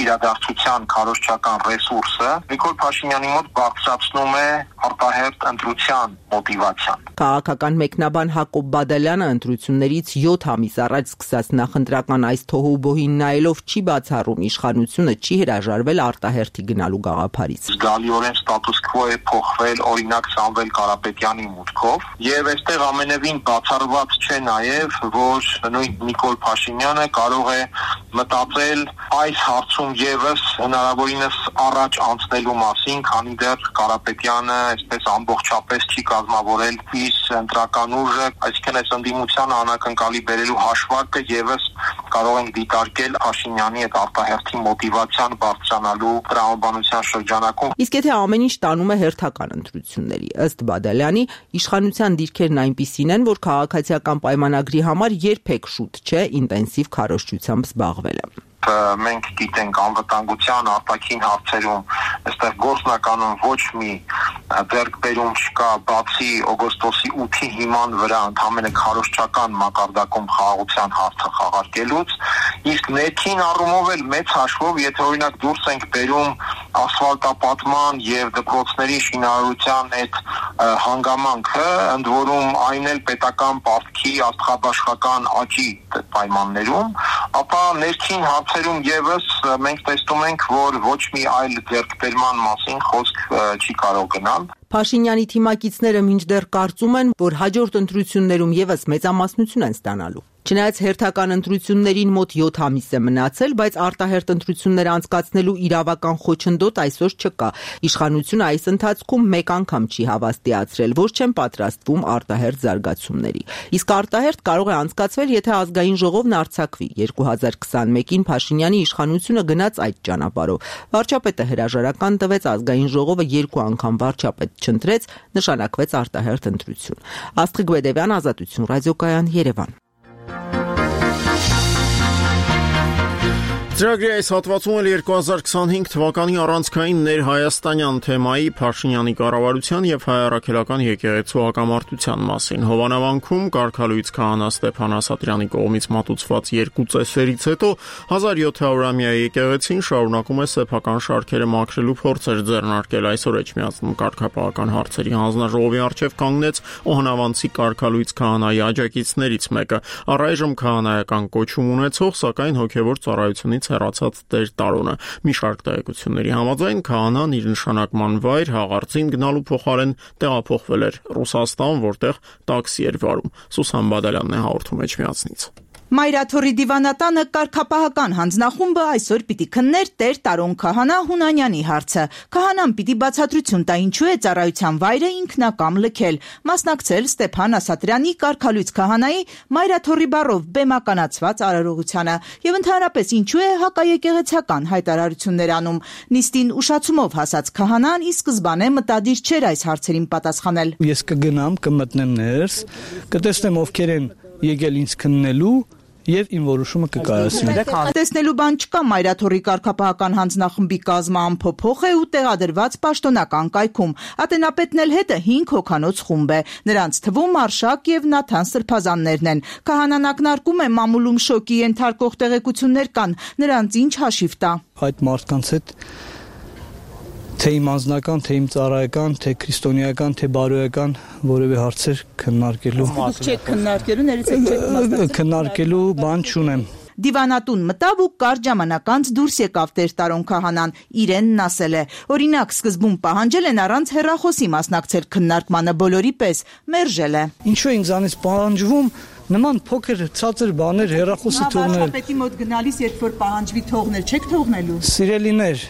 S11: իրադարձության քարոզչական ռեսուրսը Նիկոլ Փաշինյանի մոտ բարձրացնում է արտահերթ ընտրության մոտիվացիան։
S12: Քաղաքական մեկնաբան Հակոբ Բադալյանը ընտրություններից յոթ ամիս առաջ սկսած նախընտրական այս թոհուբոհին նայելով չի բացառում իշխանությունը չի հրաժարվել արտահերթի գնալու գաղափարից։
S11: Զգալիորեն ստատուս քվո է փոխվել, օրինակ Սամվել Կարապետյանի մուտքով, եւ այստեղ ամենևին բացառված չէ նաեւ, որ նույն Նիկոլ Փաշինյանը կարող է մտածել այս հարցում եւս հնարավորինս առաջ անցնելու մասին, քանի դեռ Կարապետյանը այսպես ամբողջապես չի կազմավորել իր ընտրական ուժը, այսինքն այս ընդդիմությանը անակնկալի բերելու հաշվարկը եւս կարող ենք դիտարկել Փաշինյանի այդ արտահերթի մոտիվացիան բարձրանալու տրամաբանության շրջանակում։
S12: Իսկ եթե ամեն ինչ տանում է հերթական ընտրությունների, ըստ Բադալյանի, իշխանության դիրքերն այնպիսին են, որ քաղաքացիական պայմանագրի համար երբեք շուտ չէ ինտենսիվ քարոզչությամբ զբաղվելը։
S11: Մենք գիտենք անվտանգության արտաքին հարցերում այստեղ գործնականում ոչ մի ձեռքբերում չկա, բացի օգոստոսի ութի հիման վրա ընդհանրապես քարոզչական մակարդակում խաղաղության հարցը խաղարկելուց, իսկ ներքին առումով էլ մեծ հաշվով, եթե օրինակ դուրս ենք բերում ասֆալտապատման եւ դպրոցների շինարարության այդ հանգամանքը, ընդ որում այն էլ պետական պարտքի աստղաբաշխական աճի պայմաններում, ապա ներքին հարցերում եւս մենք տեսնում ենք, որ ոչ մի այլ ձեռքբերման մասին խոսք չի կարող գնալ։
S12: Փաշինյանի թիմակիցները մինչդեռ կարծում են, որ հաջորդ ընտրություններում եւս մեծամասնություն են ստանալու։ Չնայած հերթական ընտրություններին մոտ յոթ ամիս է մնացել, բայց արտահերթ ընտրություններ անցկացնելու իրավական խոչընդոտ այսօր չկա։ Իշխանությունը այս ընթացքում մեկ անգամ չի հավաստիացրել, որ չեն պատրաստվում արտահերթ զարգացումների։ Իսկ արտահերթ կարող է անցկացվել, եթե ազգային ժողովն արձակվի։ երկու հազար քսանմեկին Փաշինյանի իշխանությունը գնաց այդ ճանապարհով։ Վարչապետը հրաժարական տվեց, ազգային ժողովը երկու անգամ վարչապետ չընտրեց, նշանակվեց արտահերթ ընտրություն։ Աստղիկ Բեդևյան, Ազատություն, ռադիոկայան, Երևան։
S1: Ծրագրի այս հատվածում էլ երկու հազար քսանհինգ թվականի առանցքային ներհայաստանյան թեմայի Փաշինյանի կառավարության եւ հայ առաքելական եկեղեցու հակամարտության մասին։ Հովանավանքում կարգալույց քահանա Ստեփան Ասատրյանի կողմից մատուցված երկու ծեսերից հետո հազար յոթ հարյուրամյա եկեղեցին շարունակում է սեփական շարքերը մաքրելու փորձեր ձեռնարկել։ Այսօր Էջմիածնում կարգապահական հարցերի հանձնաժողովի առջև կանգնեց Օհանավանցի կարգալույց քահանայի աջակիցներից մեկը։ Առայժմ քահանայական կոչում ունեցող, սակայն հոգևոր ծառայությունից հեռացած Տեր Տարոնը։ Մի շարք տեղեկությունների համաձայն քահանան իր նշանակման վայր հաղարծին գնալու փոխարեն տեղափոխվել էր Ռուսաստան, որտեղ տաքսի էր վարում։ Սուսան Բադալյանն է հաղորդում Էջմիածնից։
S17: Մայրաթորի դիվանատանը կարգապահական հանձնախումբը այսօր պիտի քններ Տեր Տարոն քահանա Հունանյանի հարցը։ Քահանան պիտի բացատրություն տա ինչու է ծառայության վայրը ինքնակամ լքել, մասնակցել Ստեփան Ասատրյանի կարգալույց քահանայի Մայրաթորի բառով բեմականացված արարողությանը եւ ընդհանրապես ինչու է հակաեկեղեցական հայտարարություններ անում։ Նիստին ուշացումով հասած քահանան ի սկզբանե մտադիր չէր այս հարցերին պատասխանել։
S18: Ես կգնամ, կմտնեմ ներս, կտեսնեմ ովքեր են եկել ինձ քննելու եւ իմ որոշումը կկայացնեմ։
S17: Տեսնելու բան չկա, Մայրաթորի կարգապահական հանձնախմբի կազմը ամփոփող է ու տեղադրված պաշտոնական կայքում։ Ատենապետն էլ հետը հինգ հոգանոց խումբ է։ Նրանց թվում Արշակ եւ Նաթան Սրբազաններն են։ Քահանան ակնարկում է մամուլում շոկի ենթարկող տեղեկություններ կան, նրանց ինչ հաշիվ տա։
S18: Այդ մարդկանց հետ թե իմ անձնական, թե իմ ծառայական, թե քրիստոնեական, թե բարոյական որևէ հարցեր քննարկելու։
S17: Դուք չեք քննարկելու, ներից եք չեք մասնակցել։
S18: Քննարկելու բան չունեմ։
S17: Դիվանատուն մտավ ու կարճ ժամանակ անց դուրս եկավ Տեր Տարոն քահանան, իրենն ասել է։ Օրինակ, սկզբում պահանջել են առանց հեռախոսի մասնակցել քննարկմանը բոլորի պես, մերժել է։
S18: Ինչու է ինձանից պահանջվում նման փոքր ցածր բաներ հեռախոսը թողնել։
S17: Վարչապետի մոտ գնալիս, երբ որ պահանջվի թողնել, չեք թողնելու։
S18: Սիրելիներ,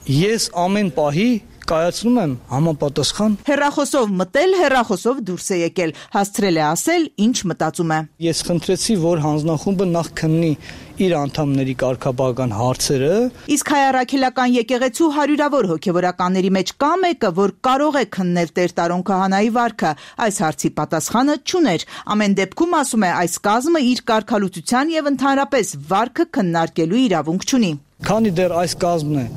S18: ես ամեն պահի կայացնում եմ համապատասխան։
S17: Հեռախոսով մտել, հեռախոսով դուրս է եկել, հասցրել է ասել, ինչ մտածում է։
S18: Ես խնդրեցի, որ հանձնախումբը նախ քննի իր անդամների կարգապահական հարցերը։
S17: Իսկ հայ առաքելական եկեղեցու հարյուրավոր հոգևորականների մեջ կա մեկը, որ կարող է քննել Տեր Տարոն քահանայի վարքը, այս հարցի պատասխանը չուներ։ Ամեն դեպքում, ասում է, այս կազմը իր կարգալուծության եւ ընդհանրապես վարքը քննարկելու իրավունք չունի։
S18: Քանի դեռ այս կազմն է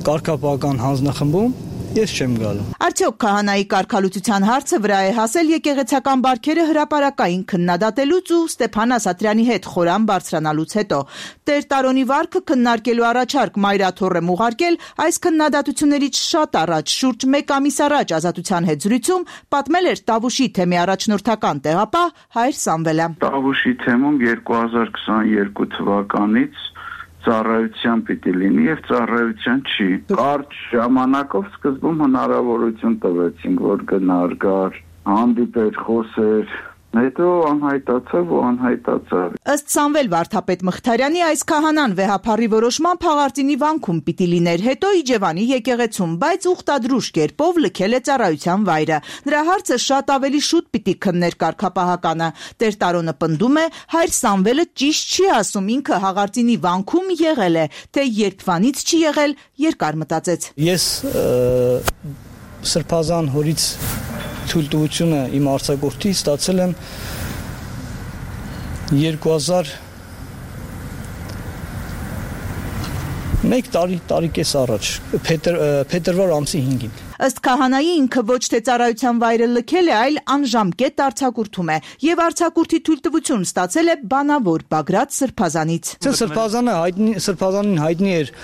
S18: կարգապահական հանձնախմբում, ես չեմ գալու։
S17: Արդյոք քահանայի կարգալուծության հարցը վրա է հասել եկեղեցական բարքերը հրապարակային քննադատելուց ու Ստեփան Ասատրյանի հետ խորան բարձրանալուց հետո։ Տեր Տարոնի վարքը քննարկելու առաջարկ Մայրաթորը ուղարկել այս քննադատություններից շատ առաջ, շուրջ մեկ ամիս առաջ Ազատության հետ զրույցում պատմել էր Տավուշի թեմի առաջնորդական տեղապահ Հայր Սամվելը։
S19: Տավուշի թեմում երկու հազար քսաներկու թվականից ծառայության պիտի լինի եւ ծառայության չի։ Կարճ ժամանակով սկզբում հնարավորություն տվեցինք, որ գնար, գար, հանդիպեր, խոսեր, հետո անհայտացավ ու անհայտացավ։
S17: Ըստ Սամվել Վարդապետ Մխիթարյանի այս քահանան վեհափառի որոշման Փաղարծինի վանքում պիտի լիներ, հետո Իջևանի եկեղեցում, բայց ուխտադրուժ կերպով լքել է ծառայության վայրը։ Նրա հարցը շատ ավելի շուտ պիտի քններ կարգապահականը։ Տեր Տարոնը պնդում է, Հայր Սամվելը ճիշտ չի ասում, ինքը Հաղարծինի վանքում եղել է, թե երբվանից չի եղել, երկար մտածեց։
S18: Ես Սրբազան հորից թույլտվությունը իմ արձակուրդի ստացել եմ երկու հազար մեկ տարի տարեկես առաջ, փետրվար ամսի հինգին։
S17: Ըստ քահանայի ինքը ոչ թե ծառայության վայրը լքել է, այլ անժամկետ արձակուրդում է եւ արձակուրդի թույլտվություն ստացել է բանավոր Բագրատ Սրբազանից։
S18: Սրբազանը հայտնի Սրբազանին հայտնի էր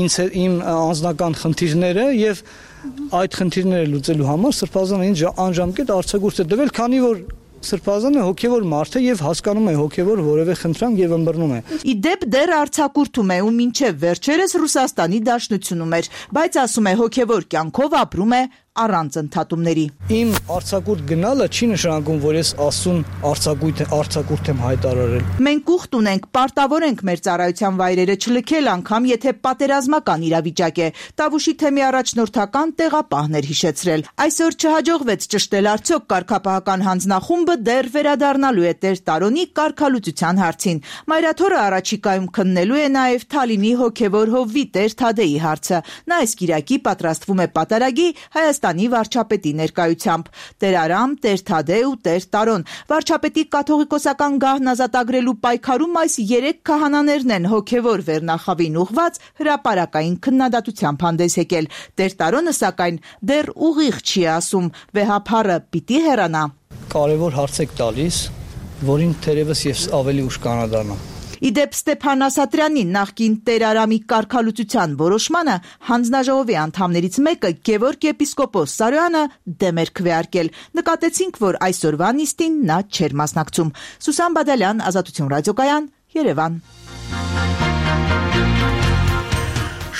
S18: ինձ իմ անձնական խնդիրները եւ այդ խնդիրները լուծելու համար Սրբազանը ինձ անժամկետ արձակուրդ է տվել, քանի որ Սրբազանը հոգևոր մարդ է եւ հասկանում է հոգևոր որևէ խնդրանք եւ ըմբռնում է։
S17: Ի դեպ դեռ արձակուրդում է ու մինչեւ վերջերս Ռուսաստանի Դաշնությունում էր, բայց ասում է հոգևոր կյանքով ապրում է առանց ընդհատումների։
S18: Իմ արձակուրդ գնալը չի նշանակում, որ ես ասուն արձակուրդ արձակուրդ եմ հայտարարել։
S17: Մենք ուխտ ունենք, պարտավոր ենք մեր ծառայության վայրերը չլքել, անգամ եթե պատերազմական իրավիճակ է, Տավուշի թեմի առաջնորդական տեղապահներ հիշեցրել։ Այսօր չհաջողվեց ճշտել արդյոք կարգապահական հանձնախումբը դեռ վերադառնալու է Տեր Տարոնի կարգալուծության հարցին։ Մայրաթորը առաջիկայում քննելու է նաև Թալինի հոգևոր հովվի Տեր Թադեի հարցը։ Նա այս կիրակի պատրաստվում է պատարագի Հայաստանի վարչապետի ներկայությամբ։ Տեր Արամ, Տեր Թադե ու Տեր Տարոն։ Վարչապետի կաթողիկոսական գահն ազատագրելու պայքարում այս երեք քահանաներն են հոգևոր վերնախավին ուղված հրապարակային քննադատությամբ հանդես եկել։ Տեր Տարոնը սակայն դեռ ուղիղ չի ասում, վեհափառը պիտի հեռանա։
S18: Կարևոր հարց եք տալիս, որին թերևս ես ավելի ուշ կանադառնամ։
S17: Իդեպ Ստեփան Ասատրյանի նախկին Տեր Արամի կարգալուծության որոշմանը հանձնաժողովի անդամներից մեկը Գևորգ եպիսկոպոս Սարոյանը դեմ էր քվեարկել։ Նկատեցինք, որ այսօրվա նիստին նա չէր մասնակցում։ Սուսան Բադալյան, Ազատություն ռադիոկայան, Երևան։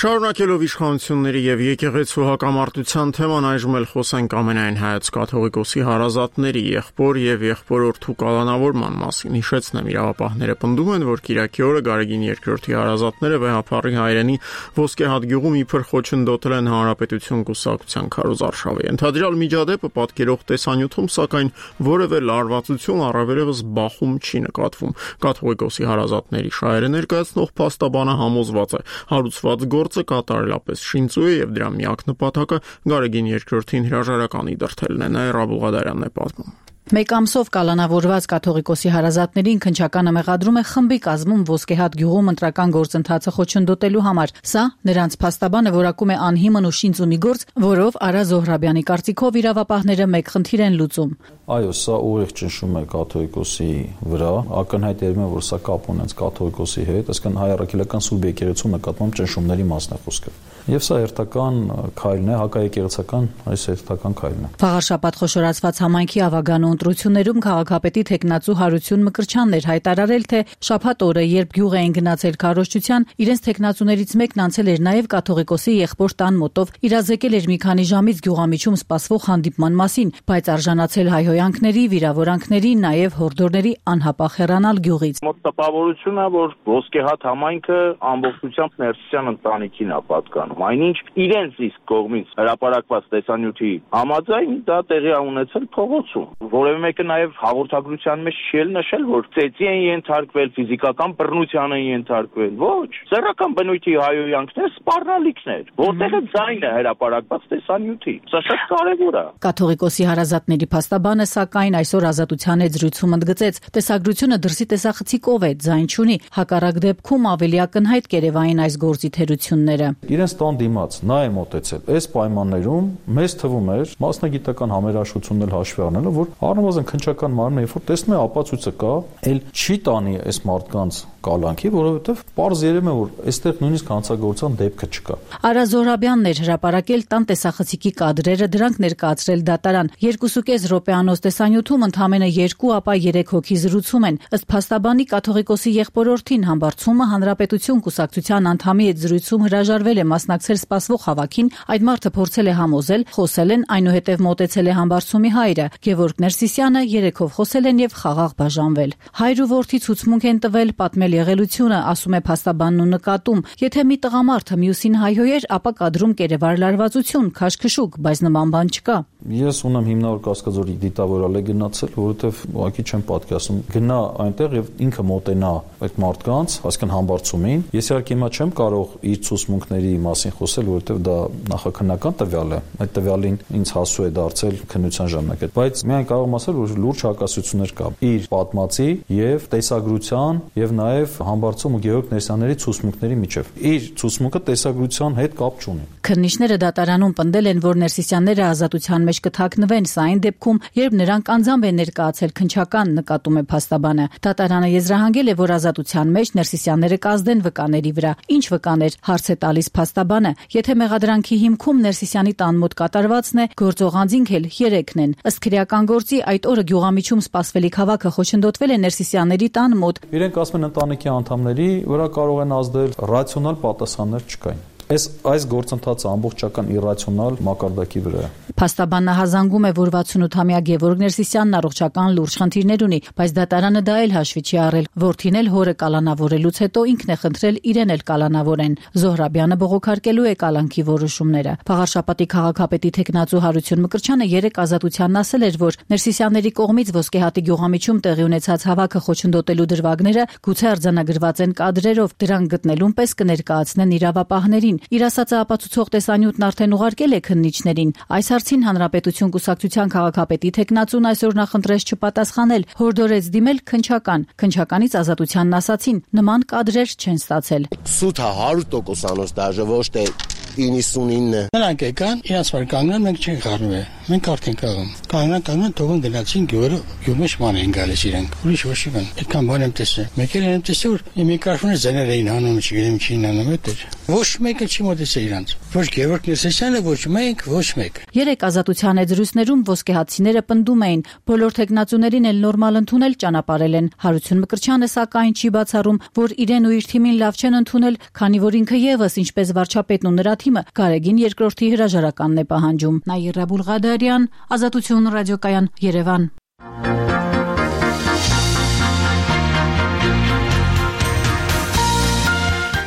S1: Շարունակելով իշխանությունների եւ եկեղեցու հակամարտության թեման, այժմ էլ խոսենք ամենայն հայոց կաթողիկոսի հարազատների եղբոր եւ եղբորորդու կալանավորման մասին։ Հիշեցնեմ, իրավապահները պնդում են, որ Կիրակի օրը Գարեգին երկրորդի հարազատները վեհափառի հայրենի Ոսկեհատ գյուղում իբր խոչընդոտել են Հանրապետություն կուսակցության քարոզարշավը։ Ընդհանրյալ միջադեպը պատկերող տեսանյութում, սակայն որևէ լարվածություն առավելևս բախում չի նկատվում։ Կաթողիկոսի հարազատների շահերը ներկայացնող փաստաբանը համոզված է, հարուցված գործը կատարելապես շինծու է եւ դրա միակ նպատակը Գարեգին երկրորդին հրաժարականի դրդելն է, Նաիրա Բուղադարյանն է պատմում։
S10: Մեկ ամսով կալանավորված կաթողիկոսի հարազատներին քննչականը մեղադրում է խմբի կազմում Ոսկեհատ գյուղում ընտրական գործընթացը խոչընդոտելու համար։ Սա նրանց փաստաբանը որակում է անհիմն ու շինծումի գործ, որով Արա Զոհրաբյանի կարծիքով իրավապահները մեկ խնդիր են լուծում։
S20: Այո, սա ուղիղ ճնշում է կաթողիկոսի վրա, ակնհայտերում է, որ սա կապ ունենց կաթողիկոսի հետ, այսինքն հայ առաքելական սուրբ եկեղեցու նկատմամբ ճնշումների մասն է խոսքը։ Եվ սա հերթական քայլն է, հակաեկեղեցական այս հերթական քայլն է։
S10: Վաղարշաբաթ խոշորացված համայնքի ավագանու ընտրություններում քաղաքապետի թեկնածու Հարություն Մկրտչյանն էր հայտարարել, թե շաբաթ օրը, երբ գյուղ էին գնացել քարոզչության, իրենց թեկնածուներից մեկն անցել էր նաև կաթողիկոսի եղբոր տան մոտով, իրազեկել էր մի քանի ժամից գյուղամիջում սպասվող հանդիպման մասին, բայց արժանացել հայհոյանքների, վիրավորանքների, նաև հորդորների անհապաղ հեռանալ գյուղից։
S21: Մոտ տպավորությունն է, որ Ոսկեհատ համայնքը ամբողջությամբ Ներսիսյան ընտանիքին է պատկանում։ Այնինչ իրենց իսկ կողմից հրապարակված տեսանյութի համաձայն դա տեղի ունեցել փողոցում։ Որևէ մեկը նաև հաղորդագրության մեջ չի նշել, որ ծեծի են ենթարկվել, ֆիզիկական բռնության են ենթարկվել։ Ոչ, սեռական բնույթի հայհոյանքներ, սպառնալիքներ, որտեղ է ձայնը հրապարակված տեսանյութի։ Սա շատ կարևոր է։
S10: Կաթողիկոսի հարազատների փաստաբանը սակայն այսօր Ազատության հետ զրույցում ընդգծեց, տեսագրությունը դրսի տեսախցիկով է, ձայն չունի, հակառակ դեպքում ավելի ակնհայտ կերևային այս գործի թերությունները։
S20: Իրենց տան դիմաց նա է մոտեցել։ Այս պայմաններում մեզ թվում էր, մասնագիտական համերաշխություններ հաշվի առնելով, որ առնվազն քննչական մարմինը երբ որ տեսնում է ապացույցը կա, ել չի տանի այս մարդկանց կալանքի, որովհետև պարզ երևում է, որ այստեղ նույնիսկ հանցագործության դեպքը չկա։
S10: Արա Զոհրաբյանն էր հրապարակել տան տեսախցիկի կադրերը, դրանք ներկայացրել դատարան։ երկուսուկես րոպեանոց տեսանյութում ընդամենը երկու, ապա երեք հոգի զրուցում են։ Ըստ փաստաբանի կաթողիկոսի եղբորորդին Համբարձումը Հանրապետություն կուսակցության անդամի հետ զրույցում հրաժարվել է մասնակցել սպասվող հավաքին, այդ մարդը փորձել է համոզել, խոսել են, այնուհետև մոտեցել է Համբարձումի հայրը։ Գևորգ Ներսիսյանը երեքով խոսել են եւ խաղաղ բաժանվել։ Հայր ու որդի ցուցմունք են տվել, պատմել եղելությունը, ասում է փաստաբանն ու նկատում, եթե մի տղամարդը մյուսին հայհոյեր, ապա կադրում կերևար լարվածություն, քաշքշուկ, բայց նման բան չկա։
S20: Ես ունեմ հիմնավոր Կասկադորի դիտավորալ է գնացել, որովհետև ուղղակի չեմ պատկասում գնա այնտեղ եւ ինքը մոտենա այդ մարդկանց, այսինքն Համբարձումին։ Ես իհարկե հիմա չեմ կարող իր ցուցմունքների մասին խոսել, որովհետև դա նախաքննական տվյալ է։ Այդ տվյալին ինձ հասու է դարձել քննության ժամանակ, բայց միայն կարող եմ ասել, որ լուրջ հակասություններ կա իր պատմածի եւ տեսագրության եւ նաեւ Համբարձում ու Գևորգ Ներսյանների ցուցմունքների միջեւ։ Իր ցուցմունքը տեսագրության հետ կապ չունի։
S10: Քննիչները դատարանում պնդել են, որ Ներսիսյանները ազատության մեջ կթաքնվեն, սա այն դեպքում, երբ նրանք անձամբ են ներկայացել քննչական, նկատում է փաստաբանը։ Դատարանը եզրահանգել է, որ ազատության մեջ Ներսիսյանները կազդեն վկաների վրա։ Ինչ վկաներ, հարց է տալիս փաստաբանը։ Եթե մեղադրանքի հիմքում Ներսիսյանի տան մոտ կատարվածն է, գործող անձինք էլ երեքն են։ Ըստ քրեական գործի այդ օրը գյուղամիջում սպասվելիք հավաքը խոչընդոտվել է Ներսիսյանների տան մոտ։
S20: Իրենք ասում են ընտանիքի անդամների վրա կարող են ազդել, ռացիոնալ պատասխաններ չկային։ Այս այս գործընթացը ամբողջական իրացիոնալ մակարդակի վրա է։
S10: Փաստաբանն հազանգում է, որ վաթսունութամյա Գևորգ Ներսիսյանն առողջական լուրջ խնդիրներ ունի, բայց դատարանը դա էլ հաշվի չի առել։ Որդին էլ հորը կալանավորելուց հետո ինքն է խնդրել իրեն էլ կալանավորեն։ Զոհրաբյանը բողոքարկելու է կալանքի որոշումները։ Փաղարշապատի քաղաքապետի թեկնածու Հարություն Մկրտչյանը երեկ Ազատությանն ասել էր, որ Ներսիսյանների կողմից Ոսկեհատի գյուղամիջում տեղի ունեցած հավաքը խոչընդոտելու դրվագները գուցե արձանագրված են կադրերով, դրանք գտնելուն պես կներկայացնեն իրավապահներին։ Իր ասածը ապացուցող տեսանյութն արդեն ուղարկել է քննիչներին։ Այս հարցին Հանրապետություն կուսակցության քաղաքապետի թեկնածուն այսօր նախընտրեց չպատասխանել, հորդորեց դիմել քննչական։ Քննչականից Ազատությանն ասացին, նման կադրեր չեն ստացել։
S2: Սուտը հարյուր տոկոս դաժե ոչ թե իննսունինը։ Նրանք եկան, իրաց վար կանգնան, մենք չենք խառնվել։ Մենք արդեն կաղում։ Կանգնան, կանգնան, թողան գնացին գյուղը, գյուղմեջ ման էին գալիս իրենք։ Ուրիշ ոչ մի բան։ Այդքան բան եմ տեսել։ Մեկ էլ եմ տեսել, որ միկրոֆոնը զեներ էին հանում, չգիտեմ ինչին անում էր։ Ոչ մեկը չի մոտեցել իրանց։ Ոչ Գևորգ Ներսիսյանը, ոչ մենք, ոչ մեկ։
S10: Երեք Ազատության հետ զրույցներում ոսկեհատցիները պնդում էին, բոլոր թեկնածուներին էլ նորմալ ընդունել ճանապարհել են։ Հարություն Մկրտչյանը սակայն չի բացառում, որ իրեն ու իր թիմին լավ չեն ընդունել, քանի որ ինքը եւս ինչպես վարչապետն ու նրա թիմը Գարեգին երկրորդի հրաժարականն է պահանջում։ Նաիրա Բուլղադարյան, Ազատություն ռադիոկայան, Երևան։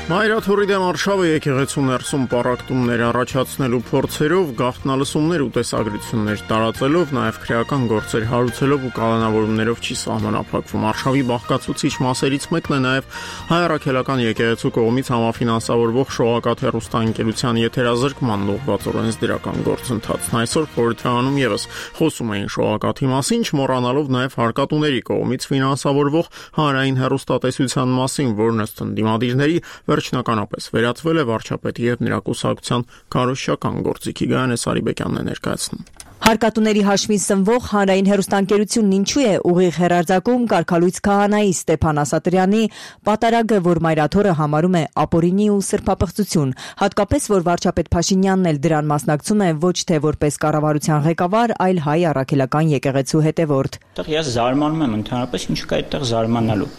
S1: Մայրաթորի դեմ արշավը եկեղեցու ներսում պառակտումներ առաջացնելու փորձերով, գաղտնալսումներ ու տեսագրություններ տարածելով, նաև քրեական գործեր հարուցելով ու կալանավորումներով չի սահմանափակվում։ Արշավի բաղկացուցիչ մասերից մեկն է նաև Հայ առաքելական եկեղեցու կողմից համաֆինանսավորվող Շողակաթ հեռուստաընկերության եթերազրկման ուղղված օրենսդրական գործընթացն։ Այսօր խորհրդարանում եւս խոսում էին Շողակաթի մասին, չմոռանալով նաև հարկատուների կողմից ֆինանսավորվող հանրային հեռուստատեսության մասին, որն ըստ ընդդիմադիրների վերջնականապես վերածվել է վարչապետի եւ նրա կուսակցության քարոզչական գործիքի։ Գայանե Սարիբեկյանն է ներկայացնում։
S4: Հարկատուների հաշվին սնվող հանրային հեռուստաընկերությունն ինչու է ուղիղ հեռարձակում կարգալույց քահանայի Ստեփան Ասատրյանի պատարագը, որ Մայրաթորը համարում է ապօրինի ու սրբապղծություն, հատկապես որ վարչապետ Փաշինյանն էլ դրան մասնակցում է ոչ թե որպես կառավարության ղեկավար, այլ Հայ առաքելական եկեղեցու հետևորդ։
S22: Այդտեղ ես զարմանում եմ ընդհանրապես ինչ կա այդտեղ զարմանալու։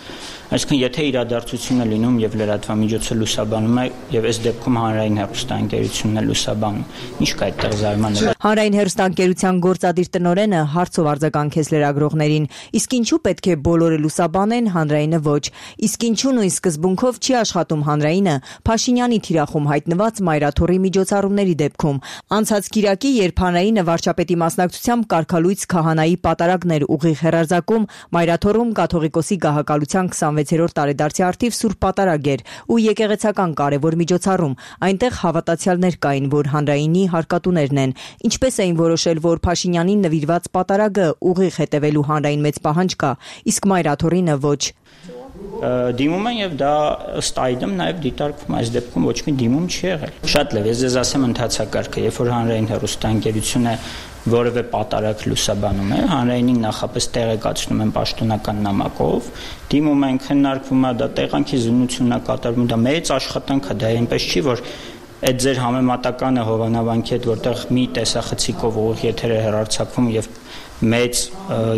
S22: Այսինքն եթե իրադարձությունը լինում եւ լրատվամիջոցը լուսաբանում է եւ այս դեպքում հանրային հեռուստաընկերությունն է լուսաբանում, ինչ կա այդտեղ զարմանալու։
S4: Հանրային հեռուստաընկերության գործադիր տնօրենը հարցով արձագանքեց լրագրողներին, իսկ ինչու պետք է բոլորը լուսաբանեն, հանրայինը ոչ։ Իսկ ինչու նույն սկզբունքով չի աշխատում հանրայինը Փաշինյանի թիրախում հայտնված Մայրաթորի միջոցառումների դեպքում։ Անցած կիրակի, երբ հանրայինը վարչապետի մասնակցությամբ կարգալույց քահանայի պատարագներ ուղիղ հեռարձակում, Մայրաթորում կաթողիկոսի գահակալության քսանվեցերորդ տարեդարձի արդիվ Սուրբ Պատարագ էր ու եկեղեցական կարևոր միջոցառում։ Այնտեղ հավատացյալներ կային, որ հանրայինի հարկատուներն են։ Ինչպես էին որոշել, որ Փաշինյանին նվիրված պատարագը ուղիղ հետևելու հանրային մեծ պահանջ կա, իսկ Մայրաթորինը ոչ։
S22: Դիմում են եւ դա ըստ այդմ նաեւ դիտարկվում այս դեպքում ոչ մի դիմում չի եղել։ Շատ լավ, ես ձեզ ասեմ ընթացակարգը, երբ որ հանրային հեռուստաընկերությունը որևէ պատարակ լուսաբանում է, հանրայինին նախապես տեղեկացնում են պաշտոնական նամակով, դիմում են, քննարկվում է, դա տեղանքի զննությունն է կատարվում, դա մեծ աշխատանք է, դա այնպես չի, որ այդ ձեր համեմատականը Հովանավանքի հետ, որտեղ մի տեսախցիկով ուղիղ եթեր է հեռարձակվում եւ մեծ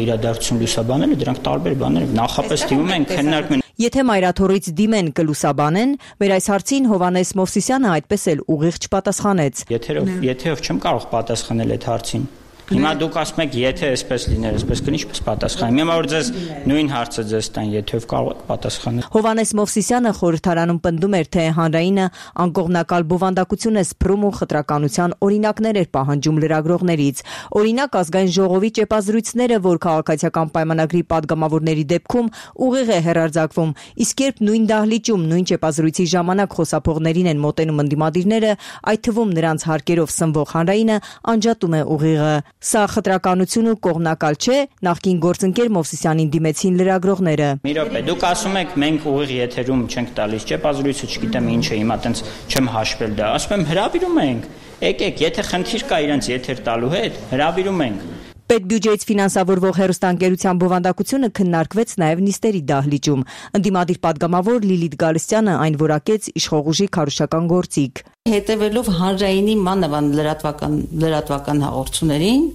S22: իրադարձություն լուսաբանելը, դրանք տարբեր բաներ են։ Նախապես դիմում են, քննարկում են։
S4: Եթե Մայրաթորից դիմեն կլուսաբանեն, մեր այս հարցին Հովանես Մովսիսյանը այդպես էլ ուղիղ չպատասխանեց։
S22: Եթերով, եթերով չեմ կարող պատասխանել այդ հարցին։ Հիմա դուք ասում եք, եթե այսպես լիներ, այսպես կլինի, ինչպես պատասխանեմ։ Հիմա որ ձեզ նույն հարցը ձեզ տան, եթերով կարող եք պատասխանել։
S4: Հովանես Մովսիսյանը խորհրդարանում պնդում էր, թե հանրայինը անկողմնակալ բովանդակություն է սփռում ու խտրականության օրինակներ էր պահանջում լրագրողներից։ Օրինակ ազգային ժողովի ճեպազրույցները, որ քաղաքացիական պայմանագրի падգամավորների դեպքում ուղիղ է հեռարձակվում, իսկ երբ նույն դահլիճում նույն ճեպազրույցի ժամանակ խոսափողներին են մոտենում ընդդիմադիրները, այդ թվում նրանց հարկերով սնվող հանրայինը անջատում է ուղիղը։ Սա խտրականություն ու կողմնակալ չէ, նախկին գործընկեր Մովսիսյանին դիմեցին լրագրողները։
S22: Մի րոպե, դուք ասում եք մենք ուղիղ եթերում չենք տալիս ճեպազրույցը, չգիտեմ ինչ է, հիմա տենց չեմ հաշվել դա։ Ասում եմ հրավիրում ենք։ Եկեք, եթե խնդիր կա իրենց եթեր տալու հետ, հրավիրում ենք։
S4: Պետբյուջեից ֆինանսավորվող հեռուստաընկերության բովանդակությունը քննարկվեց նաև նիստերի դահլիճում։ Ընդդիմադիր падգամավոր Լիլիթ Գալստյանը այն որակեց իշխող ուժի քարոզչական գործիք։
S23: Հետևելով հանրայինի մանավանդ լրատվական լրատվական հաղորդումներին,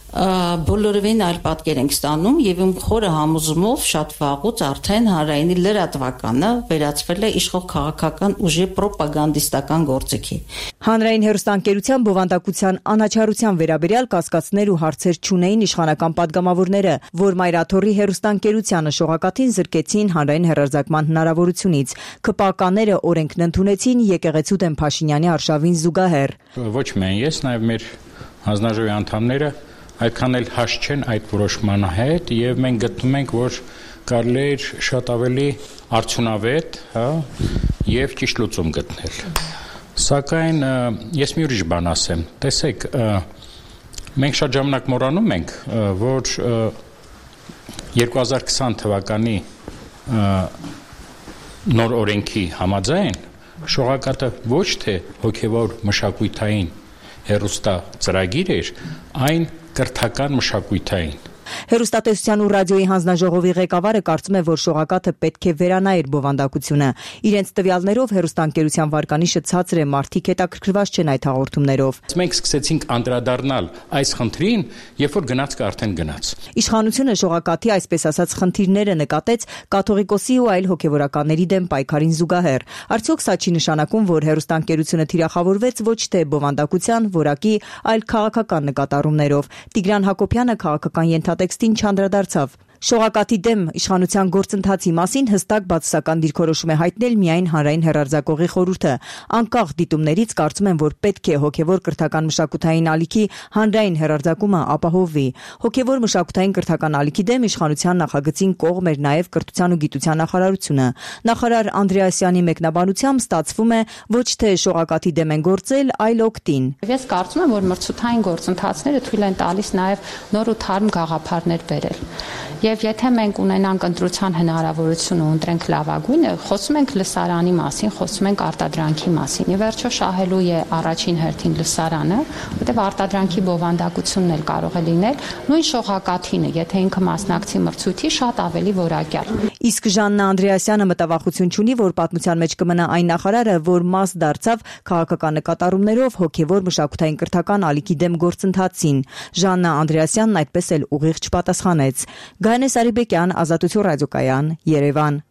S3: բոլորովին այլ պատկեր ենք ստանում եւ իմ խորը համոզումով շատ վաղուց արդեն հանրայինի լրատվականը վերածվել է իշխող քաղաքական ուժի ռոպագանդիստական գործիքի։
S4: Հանրային հեռուստաընկերության բովանդակության անաչառության վերաբերյալ կասկածներ ու հարցեր չունեին իշխանական падգամավորները, որ Մայրաթորի հեռուստաընկերությանը շողակաթին զրկեցին հանրային հեռարձակման հնարավորությունից։ ՔՊԱԿ-ները օրենքն ընդունեցին եկեղեցու դեմ Փաշինյանի արշավին զուգահեռ։
S5: Ոչ միայն ես, նաեւ մեր հանձնաժողովի անդամները այդքան էլ հաշ չեն այդ որոշման հետ եւ մենք գտնում ենք, որ կարելի է շատ ավելի արդյունավետ, հա, եւ ճիշտ լուծում գտնել։ Սակայն ես մի ուրիշ բան ասեմ։ Տեսեք, մենք շատ ժամանակ մոռանում ենք, որ երկու հազար քսան թվականի նոր օրենքի համաձայն շողակաթը ոչ թե հոգևոր մշակութային հեռուստա ծրագիր էր, այն կրթական մշակութային։
S4: Հեռուստատեսության ու ռադիոյի հանձնաժողովի ղեկավարը կարծում է, որ շողակաթը պետք է վերանայեր բովանդակությունը։ Իրենց տվյալներով հեռուստաընկերության վարկանիշը ցածր է, մարդիկ հետաքրքրված չեն այդ հաղորդումներով։
S5: Մենք սկսեցինք անդրադառնալ այս խնդրին, երբ որ գնացքը արդեն գնաց։
S4: Իշխանությունը շողակաթի այսպես ասած խնդիրները նկատեց կաթողիկոսի ու այլ հոգևորականների դեմ պայքարին զուգահեռ։ Արդյոք սա չի նշանակում, որ հեռուստաընկերությունը թիրախավորվեց ոչ թե բովանդակության, որակի, այլ քաղաքական նկատառումներով։ Տիգրան Հակոբյանը քաղաքական ենթատեքստին չանդրադարձավ։ Շողակաթի դեմ իշխանության գործընթացի մասին հստակ բացասական դիրքորոշում է հայտնել միայն հանրային հեռարձակողի խորհուրդը։ Անկախ դիտումներից կարծում են, որ պետք է հոգևոր կրթական մշակութային ալիքի հանրային հեռարձակումը ապահովվի։ Հոգևոր մշակութային կրթական ալիքի դեմ իշխանության նախագծին կողմ էր նաև կրթության ու գիտության նախարարությունը։ Նախարար Անդրեասյանի մեկնաբանությամբ ստացվում է ոչ թե շողակաթի դեմ են գործել, այլ օգտին։
S16: Ես կարծում եմ, որ մրցութային գործընթացները թույլ են տալիս նաև նոր ու թարմ գաղափարներ բերել։ Եվ եթե մենք ունենանք ընտրության հնարավորություն ու ընտրենք լավագույնը, խոսում ենք լսարանի մասին, խոսում ենք արտադրանքի մասին։ Եվ վերջո շահելու է առաջին հերթին լսարանը, որտեղ արտադրանքի բովանդակությունն էլ կարող է լինել նույն շողակաթինը, եթե ինքը մասնակցի մրցույթի, շատ ավելի որակյալ։
S4: Իսկ Ժաննա Անդրեասյանը մտավախություն չունի, որ պատմության մեջ կմնա այն նախարարը, որ մաս դարձավ քաղաքական նկատառումներով հոգևոր մշակութային կրթական ալիքի դեմ գործընթացին։ Ժաննա Անդրեասյանն այդպես էլ ուղիղ չպատասխանեց։ Գայանե Սարիբեկյան, Ազատություն ռադիոկայան, Երևան։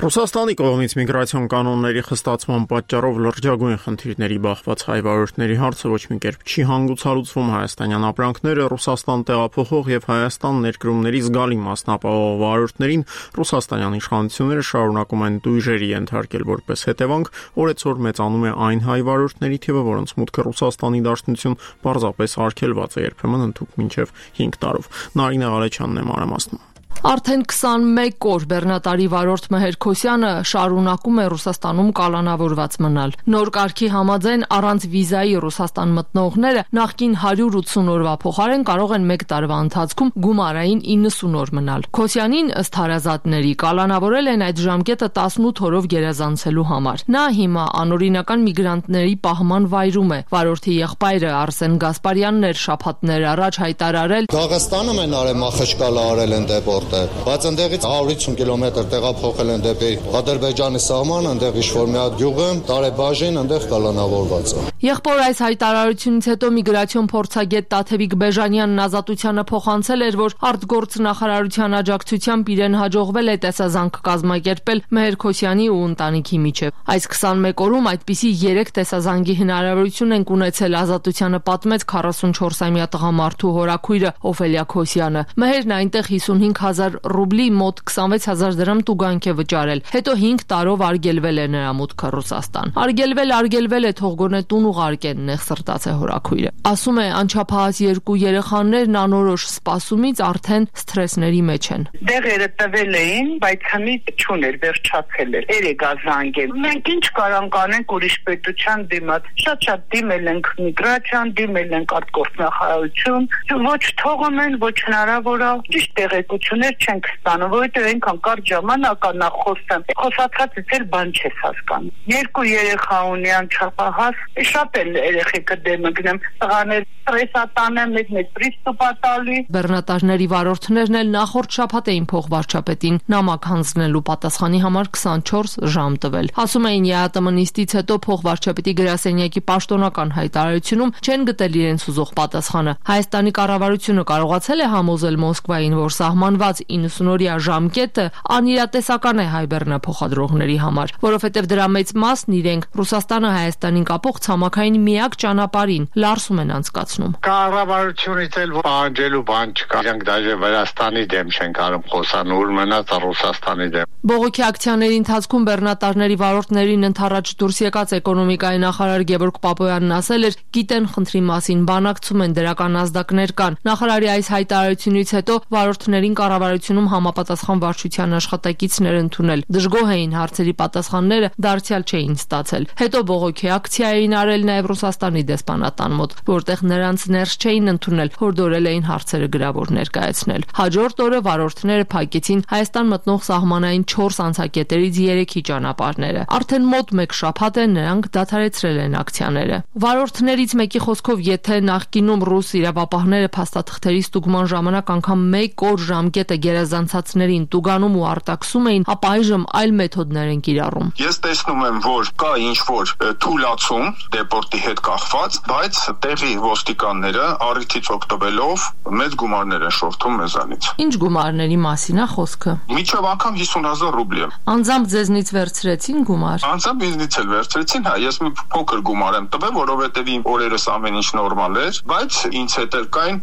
S1: Ռուսաստանի կողմից միգրացիոն կանոնների խստացման պատճառով լրջագույն խնդիրների բախված հայ վարորդների հարցը ոչ մի կերպ չի հանգուցալուծվում։ Հայաստանյան ապրանքները Ռուսաստան տեղափոխող եւ Հայաստան ներկրումների զգալի մասն ապահովող վարորդներին ռուսաստանյան իշխանությունները շարունակում են տույժերի ենթարկել որպես հետևանք, օրեցօր մեծանում է այն հայ վարորդների թիվը, որոնց մուտքը Ռուսաստանի Դաշնություն պարզապես արգելված է, երբեմն ընդհուպ մինչև հինգ տարով։ Նարինե Ղալեչյանն է մանրամասնում։
S23: Արդեն քսանմեկ օր բեռնատարի վարորդ Մեհեր Քոսյանը շարունակում է Ռուսաստանում կալանավորված մնալ։ Նոր կարգի համաձայն առանց վիզայի Ռուսաստան մտնողները նախկին հարյուր ութսուն օրվա փոխարեն կարող են մեկ տարվա ընթացքում գումարային իննսուն օր մնալ։ Քոսյանին ըստ հարազատների կալանավորել են այդ ժամկետը տասնութ օրով գերազանցելու համար։ Նա հիմա անօրինական միգրանտների պահման վայրում է։ Վարորդի եղբայրը Արսեն Գասպարյանն էր շաբաթներ առաջ հայտարարել.
S24: Դաղստանում են արել մախշկալա արել են դեպորտ, բայց ընդեղից հարյուր ութսուն կիլոմետր տեղափոխել են դեպի Ադրբեջանի սահման, ընդեղ ինչ-որ մի հատ գյուղ է, տարեբաժին ընդեղ կալանավորված է։
S23: Եղբոր այս հայտարարությունից հետո միգրացիոն փորձագետ Տաթևիկ Բեժանյանն Ազատությանը փոխանցել էր, որ արտգործ նախարարության աջակցությամբ իրեն հաջողվել է տեսազանք կազմակերպել Մեհեր Քոսյանի ու ընտանիքի միջև։ Այս քսանմեկ օրում այդպիսի երեք տեսազանգի հնարավորություն են ունեցել, Ազատությանը պատմեց քառասունչորսամյա տղամարդու հորաքույրը Օֆելիա Քոսյանը։ Մեհերն այնտեղ հիսունհինգ հազար ռուբլի մոտ քսանվեց հազար դրամ տուգանք է վճարել։ Հետո հինգ տարով արգելվել է նրա մուտքը Ռուսաստան։ Արգելվել, արգելվել է, թող գոնե տուն ուղարկեն, նեղ սրտաց է հորաքույրը։ Ասում է, անչափահաս երկու երեխաներն անորոշ սպասումից արդեն սթրեսների մեջ են։
S25: Դեղերը տվել էին, բայց հմիտ չուներ, վերջացել էր։ Երեք ազանգել։ Մենք ինչ կարանք անենք ուրիշ պետության դիմաց։ Շատ-շատ դիմել ենք միգրացիան, դիմել ենք արտգործ նախարարություն, ոչ թողում են, ոչ հնարավոր է։ Ճիշտ տեղեկություններ չենք ստանում, որովհետև այնքան կարճ ժամանակ անա խոսեմ։ Խոսացածից էլ բան չես հասկանում։ Երկու երեխա ունի անչափահաս, շատ էլ երեխեքը դեմը գնեմ, տղաներ ստրեսատանը, մեկն է պրիստուպա տալի։
S23: Բեռնատարների վարորդներն էլ նախորդ շաբաթ էին փոխվարչապետին նամակ հանձնելու պատասխանի համար քսանչորս ժամ տվել։ Ասում էին ԵԱՏՄ-նիստից հետո փոխվարչապետի գրասենյակի պաշտոնական հայտարարությունում չեն գտել իրենց ուզող պատասխանը։ Հայաստանի կառավարությունը կարողացել է համոզել Մոսկվային, որ սահմանված իննսունօրյա ժամկետը անիրատեսական է հայ բեռնափոխադրողների համար, որովհետև դրա մեծ մասն իրենք Ռուսաստանը Հայաստանին կապող ցամաքային միակ ճանապարհին Լարսում են անցկացնում։
S11: Կառավարությունից էլ պահանջելու բան չկա։ Իրենք դաժե Վրաստանի դեմ չեն կարող խոսան, ուր մնաց Ռուսաստանի դեմ։
S23: Բողոքի ակցիաների ընթացքում բեռնատարների վարորդներին ընդառաջ դուրս եկած էկոնոմիկայի նախարար Գևորգ Պապոյանն ասել էր, գիտեն խնդրի մասին, բանակցում են, դրական ազդակներ կան։ Նախարարի այս հայտարարությունից հետո վարորդներին կառավարությունում համապատասխան վարչության աշխատակիցներ ընդունել։ Դժգոհ էին հարցերի պատասխանները դարձյալ չէին ստացել։ Հետո բողոքի ակցիա էին արել նաև Ռուսաստանի դեսպանատան մոտ, որտեղ նրանց ներս չէին ընդունել, հորդորել էին հարցերը գրավոր ներկայացնել։ Հաջորդ օրը վարորդները փակեցին Հայաստան մտնող սահմանային չորս անցակետերից երեքի ճանապարհները։ Արդեն մոտ մեկ շաբաթ է նրանք դադարեցրել են ակցիաները։ Վարորդներից մեկի խոսքով, եթե նախկինում ռուս իրավապահները փաստաթղթերի ստուգման ժամանակ անգամ մեկ օր ժամկետը գերազանցածներին տուգանում ու արտաքսում էին, ապա այժմ այլ մեթոդներ են կիրառում։
S6: Ես տեսնում եմ, որ կա ինչ-որ թուլացում դեպորտի հետ կախված, բայց տեղի ոստիկանները առիթից օգտվելով մեծ գումարներ են շորթում մեզանից։
S23: Ինչ գումարների մասին է խոսքը։
S6: Միջով անգամ հիսուն հազար ռուբլի։
S23: Անձամբ ձեզնից վերցրեցին գումար։
S6: Անձամբ ինձնից էլ վերցրեցին, հա, ես մի փոքր գումար եմ տվել, որովհետև իմ օրերս ամեն ինչ նորմալ էր, բայց ինձ հետ էլ կային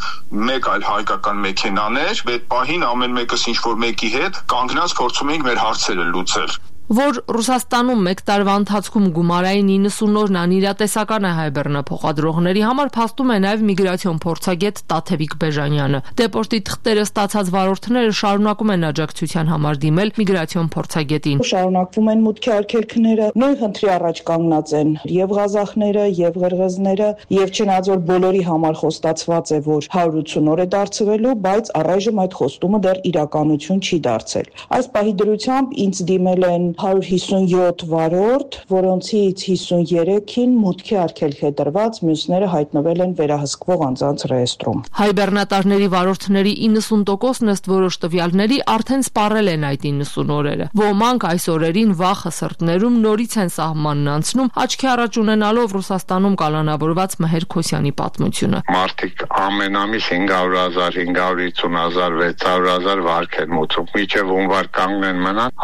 S6: մեկ այլ հայկական մեքենաներ, այդ պահին ամեն մեկս ինչ-որ մեկի հետ կանգնած փորձում էինք մեր հարցերը լուծել։
S23: Որ Ռուսաստանում մեկ տարվա ընթացքում գումարային իննսուն օրն անիրատեսական է հայ բեռնափոխադրողների համար, փաստում է նաև միգրացիոն փորձագետ Տաթևիկ Բեժանյանը։ Դեպորտի թղթերը ստացած վարորդները շարունակում են աջակցության համար դիմել միգրացիոն փորձագետին։
S7: Շարունակվում են մուտքի արգելքները, նույն խնդրի առաջ կանգնած են եւ ղազախները, եւ ղրղզները, եւ չնայած որ բոլորի համար խոստացված է, որ հարյուր ութսուն օր է դարձվելու, բայց առայժմ այդ խոստումը դեռ իրականություն չի դարձել։ Այս պահի դրությամբ ինձ դիմել են հարյուր հիսունյոթ վարորդ, որոնցից հիսուներեքին մուտքի արգելք է տրված, մյուսները հայտնվել են վերահսկվող անձանց ռեեստրում։
S23: Հայ բեռնատարների վարորդների իննսուն տոկոսն ըստ որոշ տվյալների արդեն սպառել են այդ իննսուն օրերը։ Ոմանք այս օրերին վախը սրտներում նորից են սահմանն անցնում, աչքի առաջ ունենալով Ռուսաստանում կալանավորված Մհեր Քոսյանի պատմությունը։
S11: Մարդիկ ամեն ամիս հինգ հարյուր հազար, հինգ հարյուր հիսուն հազար, վեց հարյուր հազար վարկ են մուծում։ Միջև հունվար կանգնեն մնան,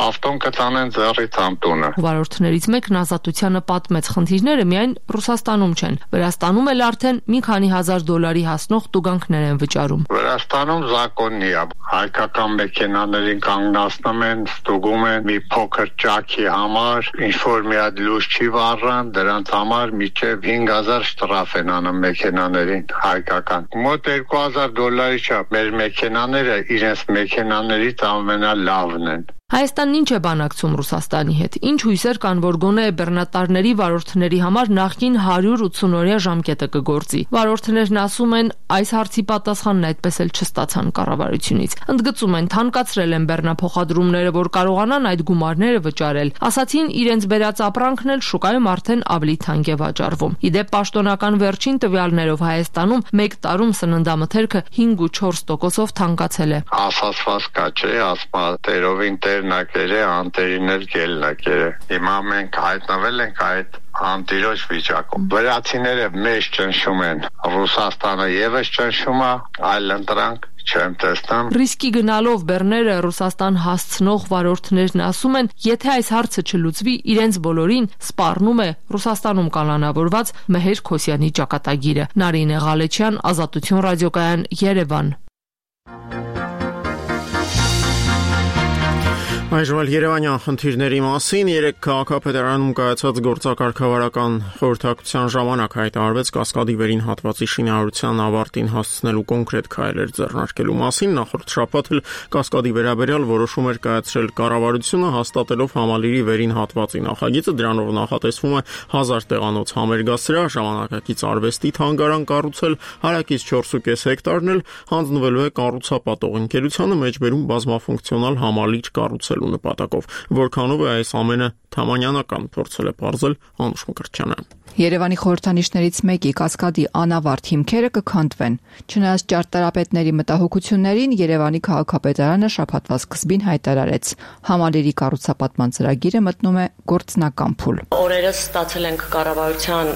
S11: ավտոն կտանեն ձեռից ամտունը։
S23: Վարորդներից մեկն Ազատությանը պատմեց, խնդիրները միայն Ռուսաստանում չեն։ Վրաստանում էլ արդեն մի քանի հազար դոլարի հասնող տուգանքներ են վճարում։
S11: Վրաստանում զակոննի է։ Հայկական մեքենաներին կանգնացնում են, ստուգում են մի փոքր ճաքի համար, ինչ որ մի հատ լույս չի վառան, դրանց համար միջև հինգ հազար շտրաֆ են անում մեքենաներին հայկական։ Մոտ երկու հազար դոլարի չափ մեր մեքենաները իրենց մեքենաներից ամենալավն են։
S23: Հայաստանն ինչ է բանակցում Ռուսաստանի հետ։ Ինչ հույսեր կան, որ գոնե բեռնատարների վարորդների համար նախկին հարյուր ութսունօրյա ժամկետը կգործի։ Վարորդներն ասում են, այս հարցի պատասխանն այդպես էլ չստացան կառավարությունից։ Ընդգծում են, թանկացրել են բեռնափոխադրումները, որ կարողանան այդ գումարները վճարել։ Ասացին, իրենց բերած ապրանքն էլ շուկայում արդեն ավելի թանկ է վաճառվում։ Իդեպ պաշտոնական վերջին տվյալներով Հայաստանում մեկ տարում սննդամթերքը հինգ ու չորս տոկոսով թանկացել է։
S11: Ասացված կա չէ, ասма տերովին նակերը անտերիներ գելնակերը։ Հիմա մենք հայտնվել ենք այդ անտիրոջ վիճակում։ Վրացիները մեզ ճնշում են, Ռուսաստանը եւս ճնշում է, այլ ընտրանք չեմ տեսնում։
S23: Ռիսկի գնալով բեռները Ռուսաստան հասցնող վարորդներն ասում են, եթե այս հարցը չլուծվի, իրենց բոլորին սպառնում է Ռուսաստանում կալանավորված Մհեր Քոսյանի ճակատագիրը։ Նարինե Ղալեչյան, Ազատություն ռադիոկայան, Երևան։
S1: Այժմ էլ Երևանյան խնդիրների մասին երեք քաղաքապետարանում կայացած գործակարգավարական խորհրդակցության ժամանակ հայտարարվեց Կասկադի վերին հատվածի շինարարության ավարտին հասցնելու կոնկրետ քայլեր ձեռնարկելու մասին։ Նախորդ շաբաթ էլ Կասկադի վերաբերյալ որոշում էր կայացրել կառավարությունը, հաստատելով համալիրի վերին հատվածի նախագիծը։ Դրանով նախատեսվում է հազար տեղանոց համերգասրահ, ժամանակակից արվեստի թանգարան կառուցել, հարակից չորս ու կես հեկտարն էլ հանձնվելու է կառուցապատող ընկերությանը, մեջբերում բազմաֆունկցիոնալ համալիր կառուցել ստեղծելու նպատակով, որքանով է այս ամենը թամանյանական, փորձել է պարզել Անուշ Մկրտչյանը։
S8: Երևանի խորհրդանիշներից մեկի Կասկադի անավարտ հիմքերը կքանդվեն։ Չնայած ճարտարապետների մտահոգություններին, Երևանի քաղաքապետարանը շաբաթվա սկզբին հայտարարեց. համալիրի կառուցապատման ծրագիրը մտնում է գործնական փուլ։
S9: Օրերս ստացել ենք կառավարության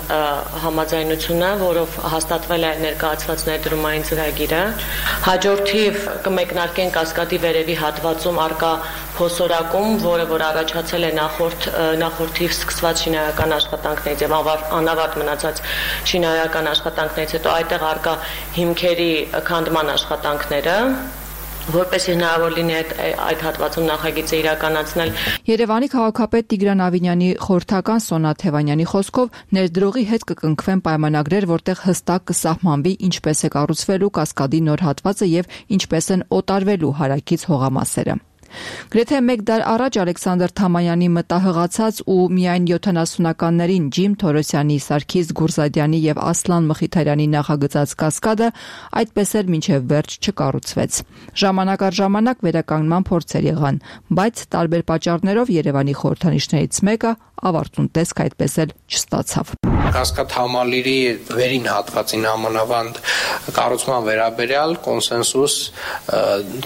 S9: համաձայնությունը, որով հաստատվել է ներկայացված ներդրումային ծրագիրը։ Հաջորդիվ կմեկնարկեն Կասկադի վերևի հատվածում արկա փոսորակում, որը որ առաջացել է նախորդ նախորդիվ սկսված շինարարական աշխատանքներից եւ անավարտ մնացած շինարարական աշխատանքներից հետո այդտեղ արկա հիմքերի քանդման աշխատանքները, որպեսզի հնարավոր լինի այդ, այդ հատվածում նախագիծը իրականացնել։
S8: Երևանի քաղաքապետ Տիգրան Ավինյանի խորհրդական Սոնա Թևանյանի խոսքով ներդրողի հետ կկնքվեն պայմանագրեր, որտեղ հստակ կսահմանվի ինչպես է կառուցվելու Կասկադի նոր հատվածը եւ ինչպես են օտարվելու հարակից հողամասերը։ Գրեթե մեկ դար առաջ Ալեքսանդր Թամանյանի մտահղացած ու միայն յոթանասունականներին Ջիմ Թորոսյանի, Սարգիս Գուրզադյանի եւ Ասլան Մխիթարյանի նախագծած Կասկադը այդպես էլ մինչեւ վերջ չկառուցվեց։ Ժամանակ առ ժամանակ վերականգնման փորձեր եղան, բայց տարբեր պատճառներով Երևանի խորհրդանիշներից մեկը ավարտուն տեսք այդպես էլ չստացավ։
S13: Կասկադ համալիրի վերին հատվածին համանավանդ կառուցման վերաբերյալ կոնսենսուս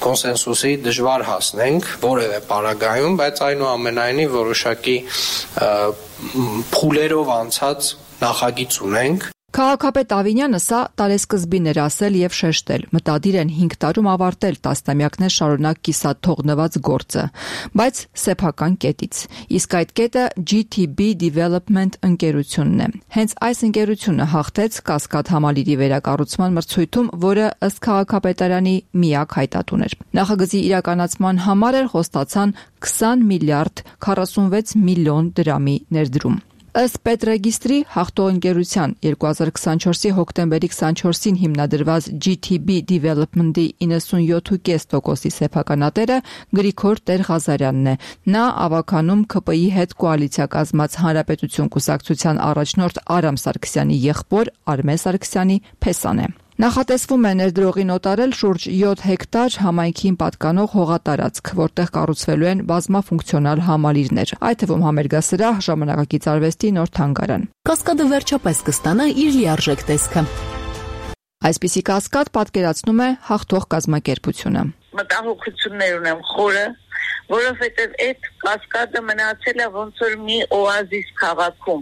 S13: կոնսենսուսի դժվար հասնենք որևէ պարագայում, բայց այնուամենայնիվ որոշակի փուլերով անցած նախագիծ ունենք։
S8: Քաղաքապետ Ավինյանը սա տարեսկզբին էր ասել եւ շեշտել. մտադիր են հինգ տարում ավարտել տասնամյակներ շարունակ կիսատ թողնված գործը, բայց սեփական կետից։ Իսկ այդ կետը G T B Development ընկերությունն է։ Հենց այս ընկերությունը հաղթեց Կասկադ համալիրի վերակառուցման մրցույթում, որը ըստ քաղաքապետարանի միակ հայտատուն էր։ Նախագծի իրականացման համար էլ խոստացան քսան միլիարդ քառասունվեց միլիոն դրամի ներդրում։ Ըստ Պետրեգիստրի հաղթող ընկերության երկու հազար քսանչորսի հոկտեմբերի քսանչորսին հիմնադրված G T B Development-ի իննսունյոթ կόμμα պենս տոկոսի սեփականատերը Գրիգոր Տեր-Ղազարյանն է։ Նա ավականում K P I-ի հետ կոալիցիա կազմած Հանրապետություն կուսակցության առաջնորդ Արամ Սարգսյանի եղբոր Արմեն Սարգսյանի փեսան է։ Նախատեսվում է ներդրողին օտարել շուրջ յոթ հեկտար համայնքին պատկանող հողատարածք, որտեղ կառուցվելու են բազմաֆունկցիոնալ համալիրներ, այդ թվում համերգասրահ, ժամանակակից արվեստի նոր թանգարան։
S10: Կասկադը վերջապես կստանա իր լիարժեք տեսքը։
S8: Այսպիսի Կասկադ պատկերացնում է հաղթող կազմակերպությունը։
S25: Մտահոգություններ ունեմ խորը, որովհետև այդ Կասկադը մնացել է ոնց որ մի օազիս քաղաքում,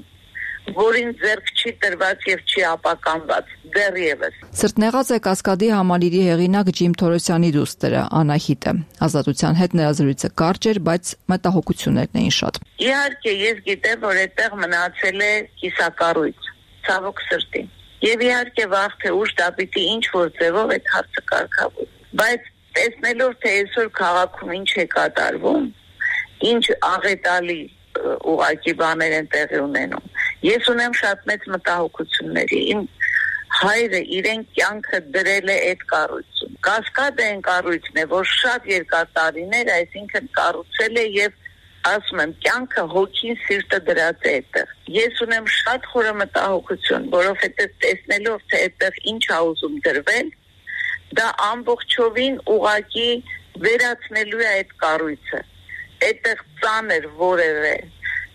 S25: որին ձեռք չի տրված եւ չի ապականված դեռևս։
S8: Սրտնեղած է Կասկադի համալիրի հեղինակ Ջիմ Թորոսյանի դուստրը Անահիտը։ Ազատության հետ նրա զրույցը կարճ էր, բայց մտահոգություններն էին շատ։
S25: Իհարկե, ես գիտեմ, որ այդտեղ մնացել է կիսակառույց, ցավոք սրտի։ Եվ իհարկե վաղ թե ուշ դա պիտի ինչ որ ձևով այդ հարցը կարգավորվի։ Բայց տեսնելով թե այսօր քաղաքում ինչ է կատարվում, ինչ աղետալի ուղղակի բաներ են տեղի ունենում։ Ես ունեմ շատ մեծ մտահոգությունների։ Իմ հայրը իրեն կյանքը դրել է այդ կառույցում։ Կասկադը այն կառույցն է, որ շատ երկար տարիներ, այսինքն կառուցել է եւ ասում եմ, կյանքը հոգին սիրտը դրած է այդտեղ։ Ես ունեմ շատ խորը մտահոգություն, որովհետեւ տեսնելով թե այդտեղ ինչ ա ուզում դրվել, դա ամբողջովին ուղակի վերացնելու է այդ կառույցը։ Այդտեղ ծանր որևէ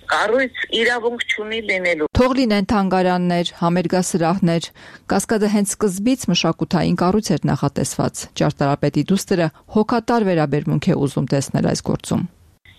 S25: կառույց իրավունք չունի լինելու։
S8: Թող լինեն թանգարաններ, համերգասրահներ, Կասկադը հենց սկզբից մշակութային կառույց էր նախատեսված։ Ճարտարապետի դուստրը հոգատար վերաբերմունք է ուզում տեսնել այս գործում։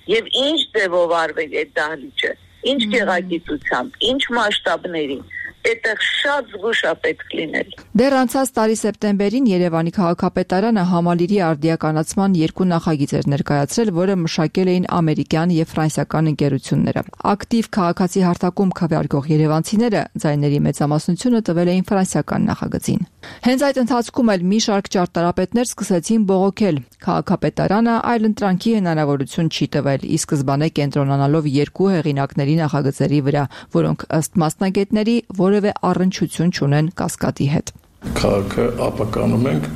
S25: Եվ ինչ ձևով արվել այդ դահլիճը, ինչ գեղագիտությամբ, ինչ մասշտաբների, այդտեղ շատ զգուշ է պետք լինել։
S8: Դեռ անցած տարի սեպտեմբերին Երևանի քաղաքապետարանը համալիրի արդիականացման երկու նախագիծ էր ներկայացրել, որը մշակել էին ամերիկյան եւ ֆրանսիական ընկերությունները։ Ակտիվ քաղաքացի հարթակում քվեարկող երևանցիները ձայների մեծամասնությունը տվել էին ֆրանսիական նախագծին։ Հենց այդ ընթացքում էլ մի շարք ճարտարապետներ սկսեցին բողոքել։ Քաղաքապետարանը այլընտրանքի հնարավորություն չի տվել, ի սկզբանե կենտրոնանալով երկու հեղինակների նախագծերի վրա, որոնք ըստ մասնագետների որևէ առնչություն չունեն Կասկադի հետ։
S14: Քաղաքը ապականում ենք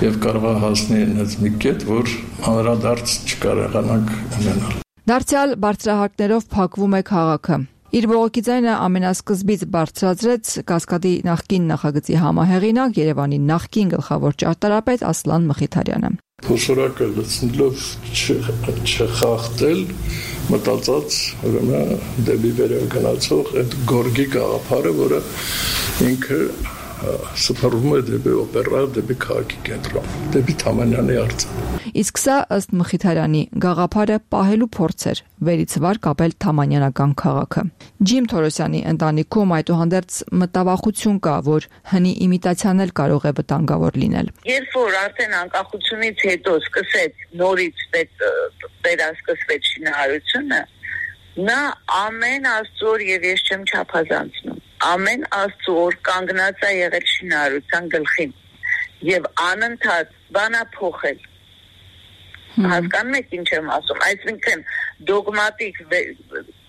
S14: եւ կարող է հասնել այնպես մի կետ, որ անդրադարձ չկարողանանք ունենալ։
S8: Դարձյալ բարձրահարկներով փակվում է քաղաքը։ Իր բողոքի ձայնը ամենասկզբից բարձրացրեց Կասկադի նախկին նախագծի համահեղինակ Երևանի նախկին գլխավոր ճարտարապետ Ասլան Մխիթարյանը։
S14: Փոշորակը լցնելով չխախտել, մտածած ուրեմն դեպի վերև գնացող այդ գորգի գաղափարը, որը ինքը սփռում է դեպի օպերա, դեպի քաղաքի կենտրոն, դեպի Թամանյանի արձան։
S8: Իսկ սա ըստ Մխիթարյանի գաղափարը պահելու փորձ էր վերից վար կապել թամանյանական քաղաքը։ Ջիմ Թորոսյանի ընտանիքում այդուհանդերձ մտավախություն կա, որ հնի իմիտացիան էլ կարող է վտանգավոր լինել։
S25: Երբ որ արդեն անկախությունից հետո սկսեց նորից վերասկսվեց շինարարությունը, նա ամեն աստծոր եւ ես չեմ չափազանցնում, ամեն աստծոր կանգնած է եղել շինարարության գլխին եւ անընդհատ բանա փոխել։ Հասկանում եք ինչ եմ ասում, այսինքն դոգմատիկ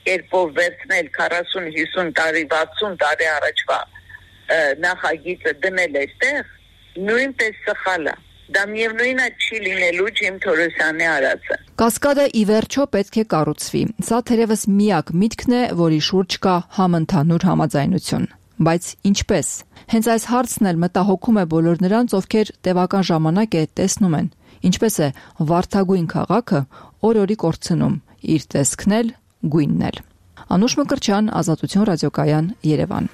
S25: կերպով վերցնել քառասուն հիսուն տարի, վաթսուն տարի առաջվա նախագիծը դնել այստեղ, նույնպես սխալ է։ Դա միևնույնն է չի լինելու Ջիմ Թորոսյանի արածը։
S8: Կասկադը ի վերջո պետք է կառուցվի։ Սա թերևս միակ միտքն է, որի շուրջ կա համընդհանուր համաձայնություն։ Բայց ինչպես։ Հենց այս հարցն էլ մտահոգում է բոլոր նրանց, ովքեր տևական ժամանակ է տեսնում են, ինչպես է վարդագույն քաղաքը օր-օրի կորցնում իր տեսքն էլ, գույնն էլ։ Անուշ Մկրտչյան, Ազատություն ռադիոկայան, Երևան։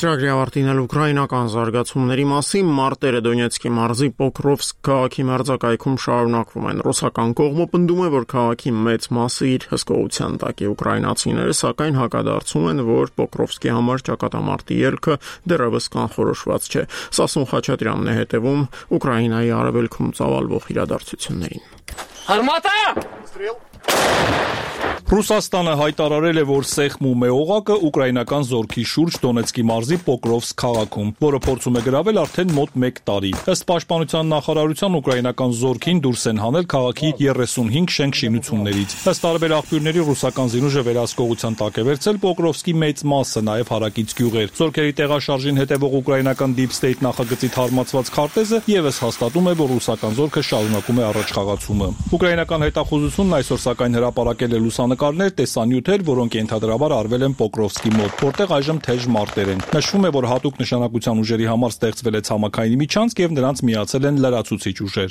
S1: Ծրագրի ավարտին էլ ուկրաինական զարգացումների մասին մարտերը Դոնեցկի մարզի Պոկրովսկ քաղաքի մերձակայքում շարունակվում են։ Ռուսական կողմը պնդում է, որ քաղաքի մեծ մասը իր հսկողության տակ է։ Ուկրաինացիները սակայն հակադարձում են, որ Պոկրովսկի համար ճակատամարտի ելքը դեռևս կանխորոշված չէ։ Սասուն Խաչատրյանն է հետևում Ուկրաինայի արևելքում ծավալվող իրադարձություններին։
S12: Արմատա! Ռուսաստանը հայտարարել է, որ Սեխմում է օղակը ուկրաինական զորքի շուրջ Դոնեցկի մարզի Պոկրովսկ քաղաքում, որը փորձում է գրավել արդեն մոտ մեկ տարի։ Ըստ պաշտպանության նախարարության ուկրաինական զորքին դուրս են հանել քաղաքի երեսունհինգ շենք-շինություններից։ Ըստ տարբեր աղբյուրների ռուսական զինուժը վերահսկողության տակ է վերցել Պոկրովսկի մեծ մասը, նաև հարակից գյուղեր։ Զորքերի տեղաշարժին հետևող ուկրաինական Deep State նախագծի թարմացված քարտեզը եւս հաստատում է, որ ռուսական զորքը շարունակում է առաջխաղացումը։ Ուկրաինական հետախուզությունն այսօր սակայն հրապարակել է լուսանկարներ, տեսանյութեր, որոնք ենթադրաբար արվել են Պոկրովսկի մոտ, որտեղ այժմ թեժ մարտեր են։ Նշվում է, որ հատուկ նշանակության ուժերի համար ստեղծվել է ցամաքային միջանցք եւ նրանց միացել են լրացուցիչ ուժեր։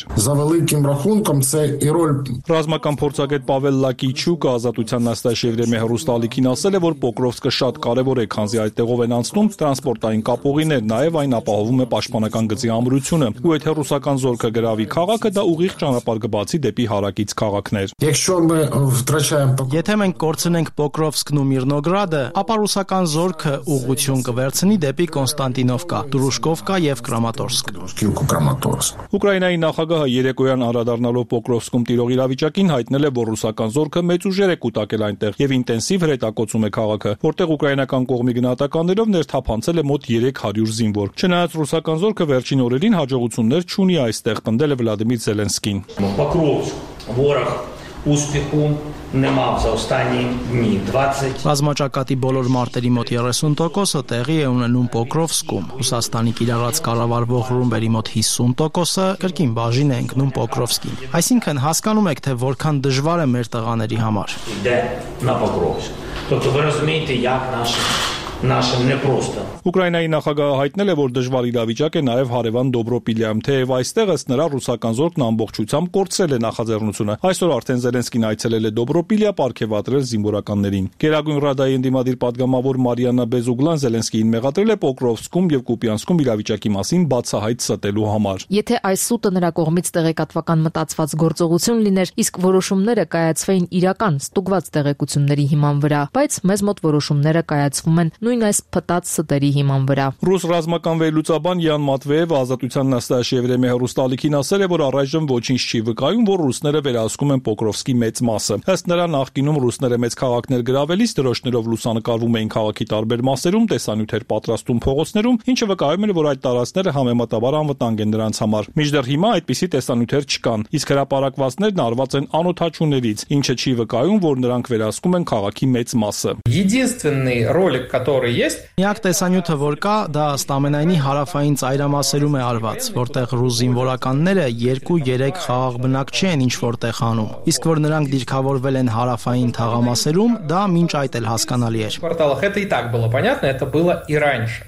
S12: Ռազմական փորձագետ Պավել Լակիչուկը Ազատության նստաշեվրեմի հեռուստալիքին ասել է, որ Պոկրովսկը շատ կարևոր է, քանզի այդտեղով են անցնում տրանսպորտային կապուղիներ, նաև այն ապահովում է պաշտպանական գծի ամրությունը։ Ու եթե ռուսական զորքը գրավի քաղաքը, դա ուղիղ ճանապարհ կբացի դեպի հարակից քաղաքներ։
S15: Եթե մենք կորցնենք Պոկրովսկն ու Միրնոգրադը, ապա ռուսական զորքը ուղղություն կվերցնի դեպի Կոնստանտինովկա, Դրուշկովկա եւ Կրամատորսկ։
S12: Ուկրաինայի նախագահը երեկոյան անդրադառնալով Պոկրովսկում տիրող իրավիճակին հայտնել է, որ ռուսական զորքը մեծ ուժեր է կուտակել այնտեղ եւ ինտենսիվ հրետակոծում է քաղաքը, որտեղ ուկրաինական կողմի գնահատականներով ներթափանցել է մոտ երեք հարյուր զինվոր։ Չնայած ռուսական զորքը վերջին օրերին հաջողություններ չունի այստեղ, պնդել է Վլադիմիր Զելենսկին։
S17: Ուспіху нема в за останні дні. двадцять
S15: Ռազմաճակատի բոլոր մարտերի մոտ երեսուն տոկոսը տեղի է ունենում Պոկրովսկում։ Ռուսաստանի կիրառած կառավարվող ռումբերի մոտ հիսուն տոկոսը կրկին բաժին է ընկնում Պոկրովսկին։ Այսինքն հասկանում եք, թե որքան դժվար է մեր տղաների համար։
S17: Йде на Покровськ. Тобто ви розумієте, як наші Нашим непросто։
S12: Ուկրաինայի նախագահը հայտնել է, որ դժվար իրավիճակ է նաև հարևան Դոբրոպիլիայում, թեև այստեղ ըստ նրա ռուսական զորքն ամբողջությամբ կորցրել է նախաձեռնությունը։ Այսօր արդեն Զելենսկին այցելել է Դոբրոպիլիա պարգևատրել զինվորականներին։ Գերագույն ռադայի ընդդիմադիր պատգամավոր Մարիանա Բեզուգլան Զելենսկիին մեղադրել է Պոկրովսկում եւ Կուպյանսկում իրավիճակի մասին բացահայտ ստելու համար։
S18: Եթե այս սուտը նրա կողմից տեղեկատվական մտածված գործողություն լիներ, իսկ որոշումները կայացվեին իրական ստուգված տեղեկությունների հիման վրա, բայց մեզ մոտ որոշումները կայացվում են նույն այս փտած ստերի հիման վրա։
S12: Ռուս ռազմական վերլուծաբան Յան Մատվեևը Ազատության նստաշեվրեմի հեռուստալիքին ասել է, որ առայժմ ոչինչ չի վկայում, որ ռուսները վերահսկում են Պոկրովսկի մեծ մասը։ Ըստ նրա նախկինում ռուսները մեծ քաղաքներ գրավելիս դրոշներով լուսանկարվում էին քաղաքի տարբեր մասերում, տեսանյութեր պատրաստում փողոցներում, ինչը վկայում էր, որ այդ տարածքները համեմատաբար անվտանգ են նրանց համար։ Մինչդեռ հիմա այդպիսի տեսանյութեր չկան, իսկ հրապարակվածներն արված են անօթաչուներից, ինչը չի վկայում, որ նրանք վերահսկում են քաղաքի մեծ մասը։
S17: Единственный ролик, который
S2: которые есть.
S15: Միակ տեսանյութը, որ կա, դա ըստամենայնի հարավային ծայրամասերում է արված, որտեղ ռուս զինվորականները երկու երեք խաղաղ բնակչի են ինչ որտեղ անում։ Իսկ որ նրանք դիրքավորվել են հարավային թաղամասերում, դա մինչ այդ էլ հասկանալի էր։
S2: В кварталах это и так было понятно, это было и раньше.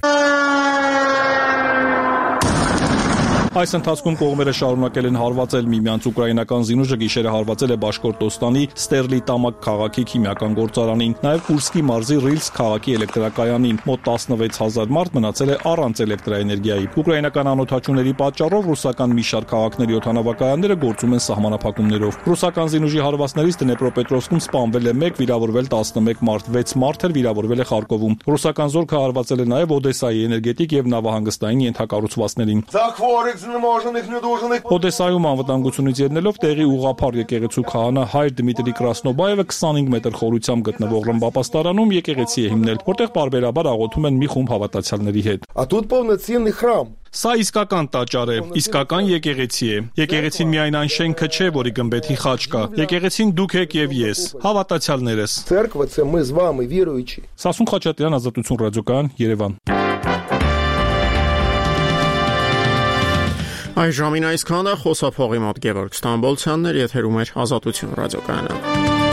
S12: Այս ընթացքում կողմերը շարունակել են հարվածել միմյանց ուկրաինական զինուժը գիշերը հարվածել է Բաշկորտոստանի Ստերլիտամակ քաղաքի քիմիական գործարանին, նաև Կուրսկի մարզի Ռիլսկ քաղաքի էլեկտրակայանին։ Մոտ տասնվեց հազար մարդ մնացել է առանց էլեկտրաէներգիայի։ Ուկրաինական անօթաչուների պատճառով ռուսական մի շարք քաղաքների օդանավակայանները գործում են սահմանափակումներով։ Ռուսական զինուժի հարվածներից Դնեպրոպետրովսկում սպանվել է մեկ, վիրավորվել տասնմեկ մարդ, վեց մարդ էլ վիրավորվել է Խարկովում։ Ռուսական զորքը հարվածել է նաև Օդեսայի էներգետիկ եւ նավահանգստային ենթակառուցվածքներին։ Օդեսայում անվտանգությունից ելնելով տեղի ուղղափառ եկեղեցու քահանա հայր Դմիտրի Կրասնոբաևը քսանհինգ մետր խորությամբ գտնվող ռմբապաստարանում եկեղեցի է հիմնել, որտեղ պարբերաբար աղոթում են մի խումբ հավատացյալների հետ։ Սա իսկական տաճար է, իսկական եկեղեցի է։ Եկեղեցին միայն այն շենքը չէ, որի գմբեթի խաչ կա։ Եկեղեցին դուք եք եւ ես, հավատացյալներս։ Սասուն Խաչատրյան, Ազատություն ռադիոկայան, Երևան։
S1: Այժմին այսքանը, խոսափողի մոտ Գևորգ Ստամբոլցյանն էր, եթերում էր Ազատություն ռադիոկայանը։